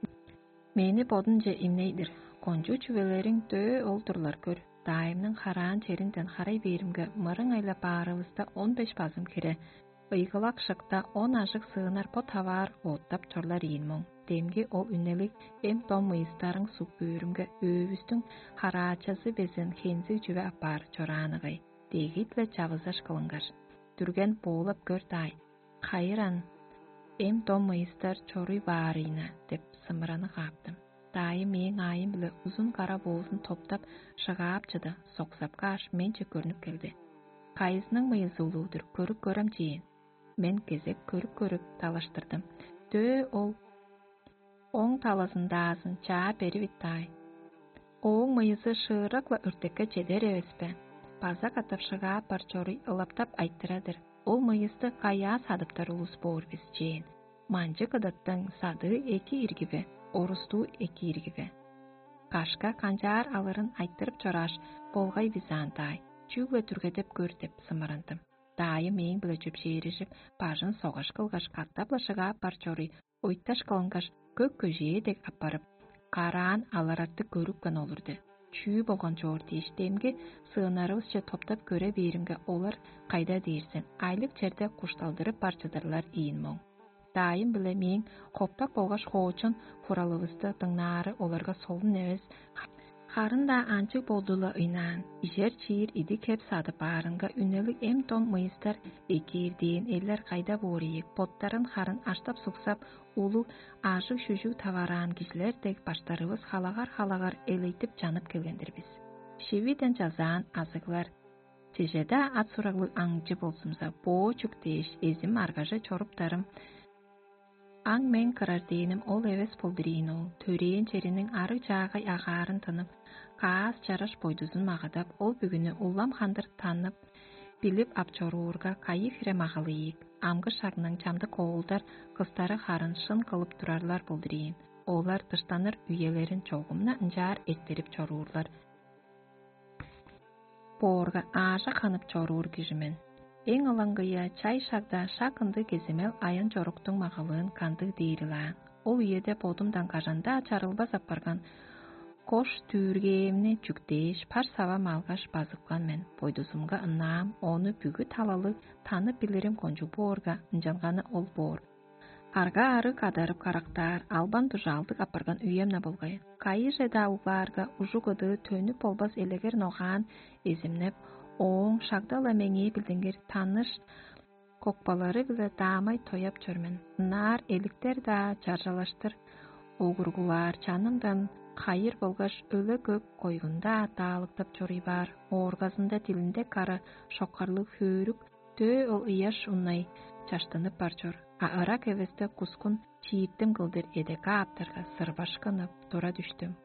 мени бодунче имней-дир. Кончуг чүвелериң дөө ол-дурлар көр. Даайымның хараан черинден харай бээримге, мырыңай-ла баарывыста он беш базым хире, ыйгылак шыкта он ажыг сыынар бо таваар оттап чорлар ийин моң. Демги ол үнелиг эм-дом ыйыстарың суг бүүрүмге, өөвүстүң хараачазы безин хензиг чүве апаар чораан ыңай. Дегит-ле чавызаш кылынгаш: «Дүрген боолап көр даай, хайыран эм-дом ыйыстар чоруй баарыйна» — деп сымыраны кааптым. Даайым мээң аайым-биле узун кара боозун топтап, шыгаап чыды, соксап кааш, менче көрнүп келди. «Кайызының мыйызы улуу-дур, көрүп көрем чээн». Мен кезек көрүп-көрүп, далаштырдым: «Дөө ол оң талазындаазын чаа беривит даай. Ооң мыйызы шыырак-ла өртекке чедер эвес бе? База катап шыгаап бар чоруй ылаптап айтырар-дыр: „Ол мыйысты каяа садыптар улус боор бис?“ – чээн. Манчы кыдаттың садыы эки ирги бе, орустуу эки ирги бе? Кашка канчаар алырын айтырып чорааш, болгай бис аан даай, чүгле дүргедеп көр» — деп сымырандым. Даайым мээң-биле чөпшээрижип, бажын согаш кылгаш, катап-ла шыгаап бар чоруй, ойташ кылынгаш, көк көжээ дег аппарып, караан алырарты көрүпкен олурду. Чүү болган чоор дээш, демги сыыннарывысче топтап көре бээримге, олар кайда дээрзен, айлыг черде кушталдырып бар чыдырлар ийин моң. Даайым-биле мээң хоптак болгаш хоочун хуралывысты дыңнаары оларга солун эвес. Харын-даа анчыг болду-ла ыйнаан, ижер-чиир идик хеп садып баарынга, үнелиг эм-дом мыйыстар экиирдээн эллер кайда боор ийик, боттарын харын аштап-суксап, улуг ажыг-шүжүг тавараан кижилер дег, баштарывыс халагар-халагар элейтип чанып келген-дир бис. Шивиден чазаан азыглар, чеже-даа ат-сураглыг аңчы болзумза, боо чүк дээш, эзим аргаже чоруптарым. Аң-мең кырар дээним ол эвес болдур ийин ол. Төрээн чериниң арыг-чаагай агаарын тынып, каас-чараш бойдузун магадап, ол бүгүнү улам хандыр танып, билип ап чоруурга, кайы хире магалы ийик. Амгы шагның чамдык оолдар, кыстары харын шын кылып турарлар болдур ийин. Олар дыштаныр үелерин чогум-на ынчаар эртирип чоруурлар боорга, аажок ханып чоруур кижи мен. Эң ылаңгыя чай шагда шак ындыг кеземел аян-чоруктуң магалыын кандыг дээри-лаан. Ол үеде бодумдан кажан-даа чарылбас апарган кош дүүргээмни чүктээш, пар-савам алгаш базыпкан мен. Бойдузумга ынаам, ону бүгү талалыг танып билирим кончуг боорга, ынчанганы ол боор. Арга-арыг кадарып карактаар, албан-дужаалдыг апарган үем-на болгай. Кайыже-даа углаарга, ужуг-ыдыы төнүп болбас элегер ногаан эзимнеп, ооң шагда-ла меңээ билдингир таныш кокпалары-биле даамай тояп чор мен. Ынаар эликтер-даа, чаржалаштыр огургулаар чанымдан хайыр болгаш өле-көк койгун-даа даалыктап чоруй баар, ооргазында дилинде кара шоккарлыг хөөрүк дөө ол ыяш уннай чаштынып бар чор, а ырак эвесте кускун чииттим кылдыр эдекке ааптарга, сырбашкынып тура дүштүм.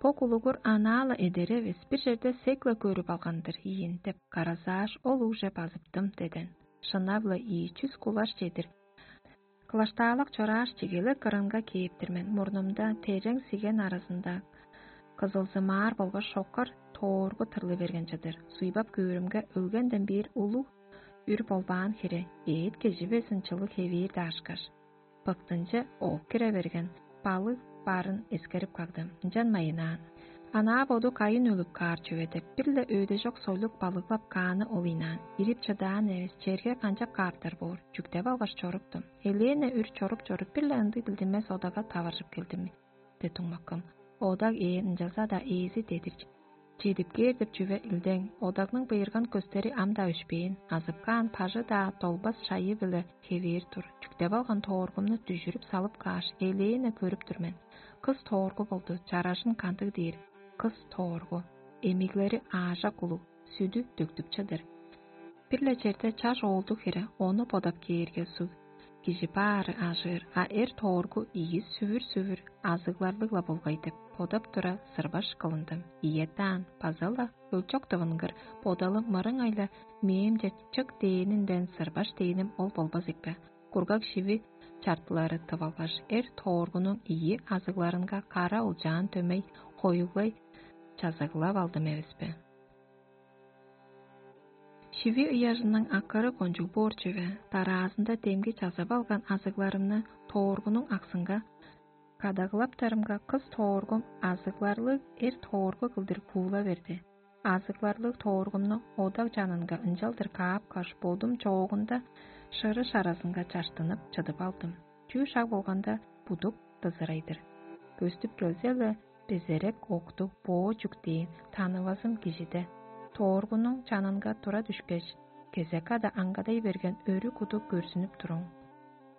Бо кулугур анаа-ла эдер эвес, бир черде сек-ла көрүп алган-дыр ийин деп каразааш, ол угже базыптым» — деден. Шынап-ла, ийи чүс кулаш чедир кылаштаалак чорааш, чигелек кырынга кээп-тир мен. Мурнумда терең сиген аразында кызылзымаар болгаш шокар тооргу тырлы берген чыдыр. Суйбап көөрүмге, өлгенден бээр улуг үр болбаан хире, эът кежи безин чылыг хевээр даарышкаш, быктынче ооп кире берген балыг барын эскерип кагдым. Ынчан майынаан. Анаа боду кайын өлүп каар чүве деп, бир-ле өөдежок сойлук балыглап кааны ол ыйнаан. Ирип чыдаан эвес, черге канчап кааптар боор, чүктеп алгаш чоруптум. Элээне үр чоруп-чоруп, бир-ле ындыг билдинмес одага таваржып келдим де туңмаккым. Одаг ээн, ынчалза-даа ээзи дедир чедип кээр деп чүве илдең. Одагның быйырган көстери ам-даа өшпээн, азып каан бажы-даа долбас шайы-биле хевээр тур. Чүктеп алган тооргумну дүжүрүп салып кааш, элээне көрүп тур мен. Кыс тооргу болду, чаражын кандыг дээр? Кыс тооргу. Эмиглери аажак улуг, сүдү дөктүп чыдыр. Бир-ле черде чаш оолдуг хире, ону бодап кээрге, суг кижи баары ажыыр, а эр тооргу ийи сүвүр-сүвүр азыгларлыг-ла болгай деп бодап тура, сырбаш кылындым. Ийе даан, база-ла өлчок дывынгыр, бодалы мырыңай-ла мээм чечек дээнинден сырбаш дээним ол болбас ийикпе? Кургаг шиви чартылары тывалгаш, эр тооргунуң ийи азыгларынга кара олчаан дөмей хоюглай чазаглап алдым эвеспе? Шиви ыяжының акыры кончуг боор чүве, дараазында демги чазап алган азыгларымны тооргунуң аксынга кадаглаптарымга, кыс тооргум азыгларлыг эр тооргу кылдыр куула берди. Азыгларлыг тооргумну одаг чанынга ынчалдыр каапкаш, бодум чоогунда шырыш аразынга чаштынып чыдып алдым. Чүү шаг болганда будук дызырай-дыр. Көстүп келзе-ле, безерек октуг боо чүктээн танывазым кижиде. Тооргунуң чанынга тура дүшкеш, кезек ада аңгадай берген өрү куду көрзүнүп туруң.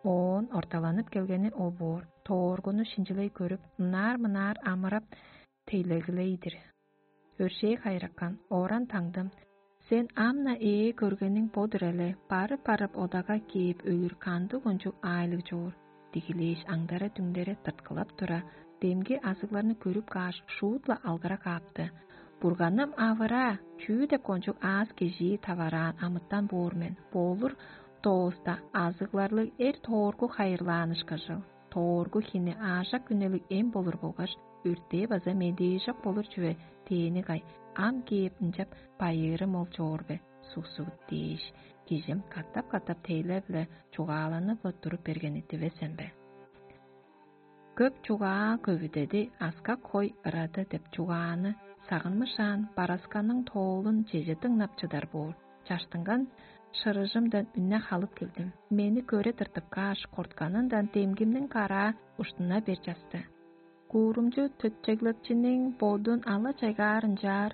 Оон орталанып келгени ол боор. Тооргуну шинчилей көрүп, ынаар-мынаар амырап тейлегилей-дир. Өршээ хайыракан, ооран таңдым. Сен ам-на ээ көргениң бо-дур эле, барып-барып одага кээп өлүр кандыг кончуг аайлыг чоор? Дигилээш, аңдара-дүңдере тырткылап тура, демги азыгларны көрүп кааш, шуут-ла алгыра каапты. Бурганым авыраа, чүү деп кончуг аас кежии тавараан амытан боор мен? Болур дооста азыгларлыг эр тооргу хайырлаан ышкажыл. Тооргу хини аажак үнелиг эм болур болгаш, өртээ база медээжок болур чүве тээни кай, ам кээп ынчап байыырым ол чоор бе, суксугут дээш, кижим катап-катап тейлер-биле чугааланып-ла туруп бергени дивес эмбе? Көп чугаа көвүдеди, аскак хой ырады деп чугааны сагынмышаан, барасканың тоолун чеже дыңнап чыдар боор. Чаштынган шырыжымдан үнне халып келдим. Мени көре тыртып кааш, кортканындан демгимниң караа уштуна бер часты. Куурумчу төтчеглепчиниң бодун ала-чайгаар ынчаар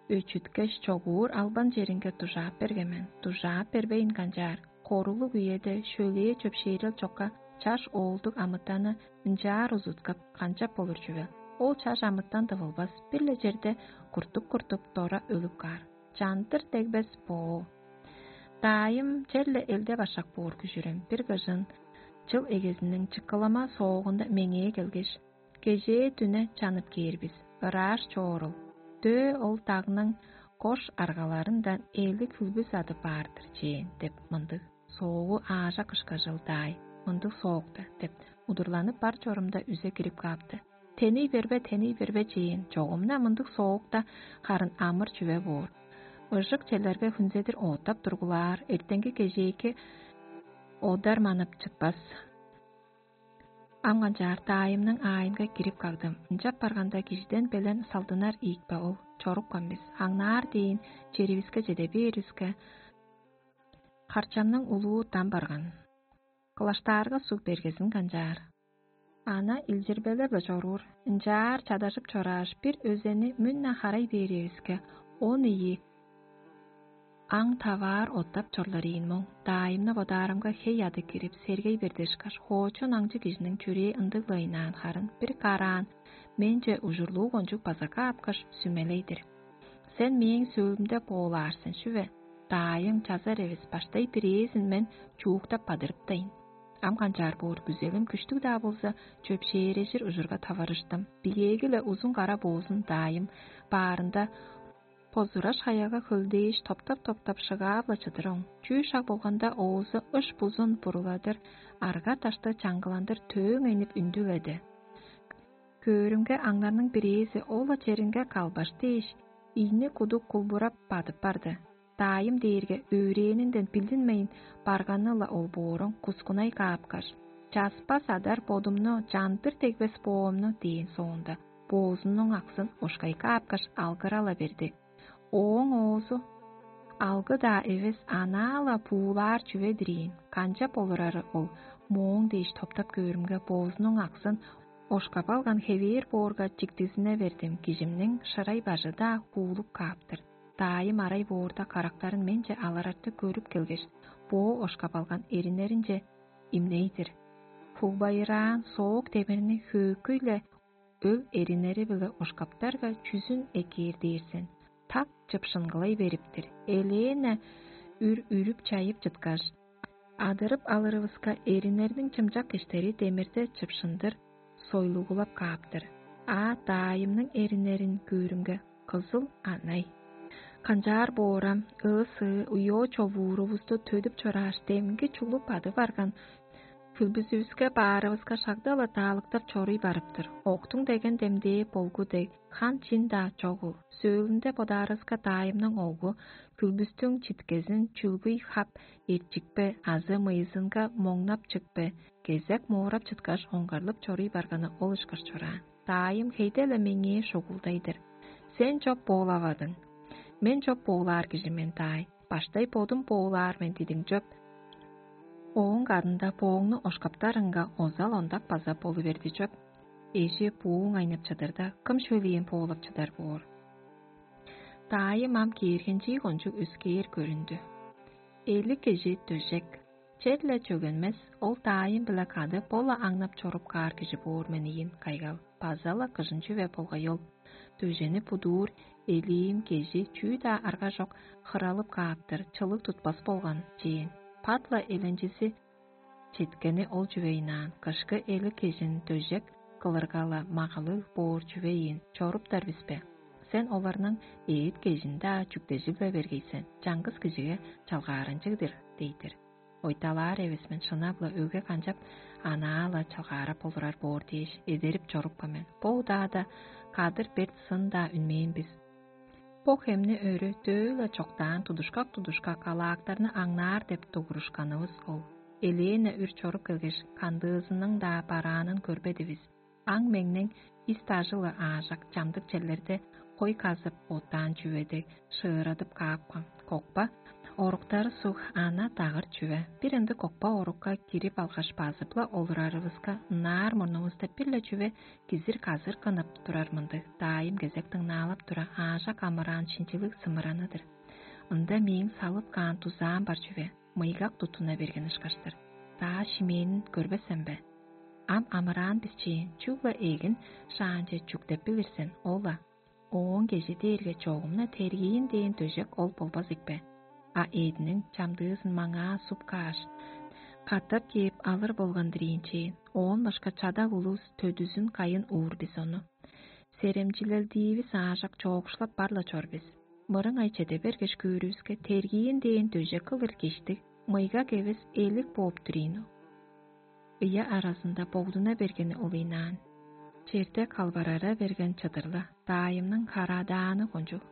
өчүткеш, чогуур албан черинге дужаап берген мен. Дужаап бербейн канчаар, корулуг үеде шөлээ чөпшээрел чокка чаш оолдуг амытаны ынчаар узуткап, канчап болур чүвел? Ол чаш амытан дывылбас, бир-ле черде куртуп-куртуп, дора өлүп каар. Чандыр дегбес боо. Даайым черле элде башак боор күжүрем. Бир кыжын чыл эгезиниң чыккылама соогунда меңээ келгеш: «Кежээ дүне чанып кээр бис, ырааш чоорул. Дөө ол дагның кош аргаларындан эли хүлбүс адып баар-дыр чээн» — деп мындыг. Соогу аажак кышкажыл даай, мындыг соок-та деп, удурланып бар чорумда үзе кирип каапты. «Теней бербе, теней бербе чээн, чогум-на мындыг соок-та харын амыр чүве боор. Ыжык челерге хүнзедир оотап тургулаар, эртенги кежээки одар манып чытпас». Ам канчаар даайымның аайынга кирип кагдым. Ынчап барганда, кижиден белен салдынар ийикпе ол, чорупкан бис. Аңнаар дээн черивиске чеде бээривиске, харчамның улуу дам барган. Кылаштаарга суг бергезин канчаар. Ана илчирбелеп-ле чоруур. Ынчаар чадажып чорааш, бир өзени мүн-на харай бээривиске, он ийи аң таваар оттап чорлар ийин моң. Даайымны бодаарымга, хей ады кирип, сергей бердешкаш, хоочун аңчы кижиниң чүрээ ындыг-ла ыйнаан харын, бир караан менче ужурлуу кончуг база каапкаш, сүмелей-дир: «Сен мээң сөөлүмде боолаар сен чүве? Даайың чазар эвес, баштай бирээзин мен чууктап бадырыптайн». Ам канчаар боор, күзелим күштүг-даа болза, чөпшээрежир ужурга таварыштым. Бигээги-ле узун кара боозун даайым баарында позураш хаяга хөлдээш, топтап-топтап шыгаап-ла чыдыр оң. Чүү шак болганда оозу ыш-бузун буруладыр, арга-дашты чаңгыландыр төөң энип үндүледи. Көөрүмге аңнарның бирээзи ол-ла черинге калбаш дээш, ийни кудук кулбурап бадып барды. Даайым дээрге өөрээнинден билдинмейн барганы-ла ол боорун кускунай каапкаш: «Часпас адар бодумну, чандыр дегбес боомну» – дээн соонда, боозунуң аксын ошкай каапкаш, алгырала берди. Ооң оозу алгы-даа эвес, анаа-ла буулаар чүве-дир ийин. Канчап олурары ол? Мооң дээш топтап көөрүмге, боозунуң аксын ошкап алган хевээр боорга чиктизине бердим, кижимниң шырай бажы-даа хуулуп кааптыр. Даайым арай боорда карактарын менче алырартып көрүп келгеш, боо ошкап алган эриннеринче имней-дир. Хугбайыраан соок демирни хөөкүй-ле өг эриннери-биле ошкаптарга, чүзүн эккээр дээр сен, так чыпшынгылай бериптир. Элээн-не үр үрүп-чайып чыткаш, адырып алырывыска, эриннерниң чымчак киштери демирде чыпшындыр сойлугулап кааптыр. А даайымның эриннерин көөрүмге, кызыл анай. Канчаар боорам, ыы-сыы, уйоо човуурувусту төдүп чорааш, демги чуглуп бадып барган хүлбүзүвүске баарывыска шагда-ла даалыктап чоруй барыптыр. Октуң деген демдээ болгу дег, хан чин-даа чогул. Сөөлүнде бодаарывыска, даайымның оглу хүлбүстүң читкезин чүлгүй хап эрчикпе азы мыйызынга моңнап чыкпе, кезек моорап чыткаш, оңгарлып чоруй барганы ол ышкаш чораан. Даайым хейде-ле меңээ шугулдай-дыр: «Сен чоп боолавадың. Мен чоп боолаар кижи мен, даай. Баштай бодум боолаар мен дидиң чоп. Ооң кадында бооңну ошкаптарыңга, озал ондак база болу берди чоп. Эжи бууң айнып чыдырда, кым шөлээн боолап чыдар боор?» Даайым ам кээргенчии кончуг өскээр көрүндү. Эли кижи дөжек. Черле чөгенмес, ол даайым-биле кады бо-ла аңнап чоруп каар кижи боор мен ийин, кайгал. База-ла кыжын чүве болгай ол. Дөжени будуур, элиим кежи чүү-даа арга чок, хыралып кааптыр, чылыг тутпас болган чээн. Пат-ла эленчизи четкени ол чүве ыйнаан, кышкы элик кежин дөжек кылырга-ла магалыг боор чүве ийин, чоруптар бис бе? Сен оларның эът кежин-даа чүктежип-ле бергей сен, чаңгыс кижиге чалгаарынчыг-дыр, дей-дир. Ойталаар эвес мен, шынап-ла, өге канчап анаа-ла чалгаарап олурар боор дээш, эдерип чорупкан мен. Бо удаада кадыр берт сын-даа үнмээн бис. Бо хемни өрү дөө-ла чоктаан тудушкак-тудушкак алаактарны аңнаар деп дугурушканывыс ол. Элээн-не үр чоруп келгеш, кандыызының-даа бараанын көрбедивис. Аң-меңнең ис дажы-ла аажак чамдык черлерде хой казып, оттаан чүве дег шыырадып каапкан. Кокпа оруктары суг ана дагыр чүве. Бир ындыг кокпа орукка кирип алгаш, базып-ла олурарывыска, ынаар мурнувуста бир-ле чүве кизир-казыр кынып турар мындыг. Даайым кезек дыңнаалап тура, аажак амыраан шинчилиг сымыраны-дыр. Ында мээң салып каан дузаам бар чүве, мыйгак туттуна берген ышкаш-тыр. Даа шимээнин көрбес сен бе? Ам амыраан бисчээн, чүгле эгин шаанче чүктеп билир сен, ол-ла. Ооң кежи дээрге чогум-на тергиин дээн дөжек ол болбас ийикпе? А эъдиниң чамдыызын маңаа суп кааш, катап кээп алыр болган-дыр ийинчээн. Оон башка чадаг улус төдүзүн кайын уур бис ону. Серемчилелдиивис аажак чоокшулап бар-ла чор бис. Мырыңай чеде бергеш көөрүвүске, тергиин дээн дөжек кылыр киштиг, мыйгак эвес, элик бооп тур ийин. Ыя аразында богдуна бергени улыйнаан. Черде калбарара берген чыдырла, даайымның харадааны кончуг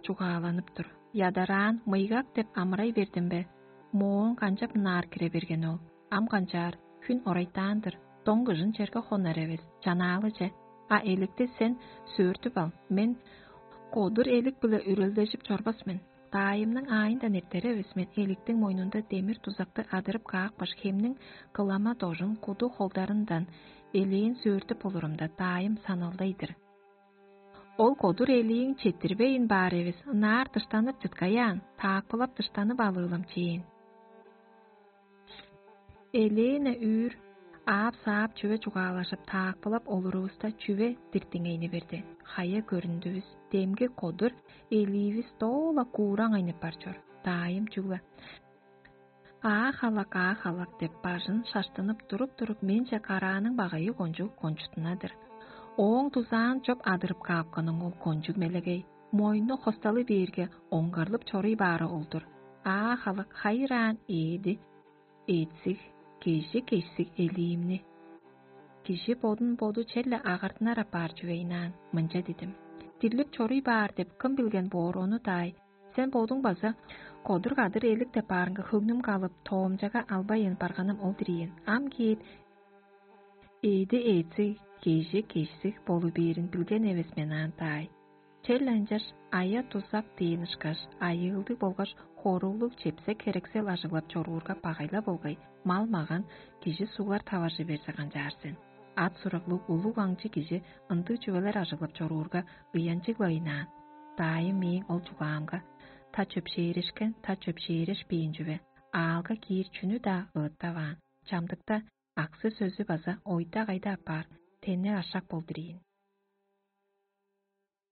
чугааланып тур. Ядараан мыйгак деп амырай бердим бе? Мооң канчап ынаар кире берген ол? Ам канчаар, хүн орайтаан-дыр, доң кыжын черге хонар эвес, чанаалы че. А эликти сен сөөртүп ал, мен кодур элик-биле үрелдежип чорбас мен. Даайымның аайындан эртер эвес мен, эликтиң мойнунда демир дузакты адырып каапкаш, хемниң кылама дожун куду холдарындан элээн сөөртүп олурумда, даайым саналдайдыр. Ол кодур элииң четтирбейн баар эвес, ынаар дыштанып чыткаяан, таакпылап дыштанып алыылам чээн. Элээне үүр аап-саап чүве чугаалажып, таакпылап олурувуста, чүве диктиңейни берди. Хая көрүндүвүс, демги кодур элиивис доо-ла куураң айнып бар чор. Даайым чүгле: «Аа халак, аа халак» деп, бажын шаштынып туруп-туруп, менче карааның багайы кончуг кончуттунадыр. Ооң дузаан чоп адырып каапканың ол кончуг мелегей, мойну хосталы бээрге, оңгарлып чоруй баары ол-дур. Аа халак хайыраан ээди эъдсиг, кежи кешсиг элиимни. Кижи бодун боду черле агартынар апаар чүвейнаан, мынча дидим: «Дирлип чоруй баар деп кым билген боор ону даай? Сен бодуң база кодур-кадыр элик деп баарынга хөңнүм калып, тоомчага албайн барганым ол-дур ийин. Ам кээп, ээди эъдсиг, кежи кешсиг болу бээрин билген эвес мен аан даай. Черле ынчаш ая-дузак дээн ышкаш, айыылдыг болгаш хоорулуг чепсек-херексел ажыглап чоруурга багайла болгай, мал-маган, кижи суглар таваржы берзе канчаар сен? Ат-сураглыг улуг аңчы кижи ындыг чүвелер ажыглап чоруурга ыянчыг-ла ыйнаан. Даайым мээң ол чугаамга: «Та чөпшээрешкен, та чөпшээрешпээн чүве, аалга киир чүнү-даа ыыттаваан, чамдыкта аксы-сөзү база ойда-кайда апаар теннек ашак болдур ийин».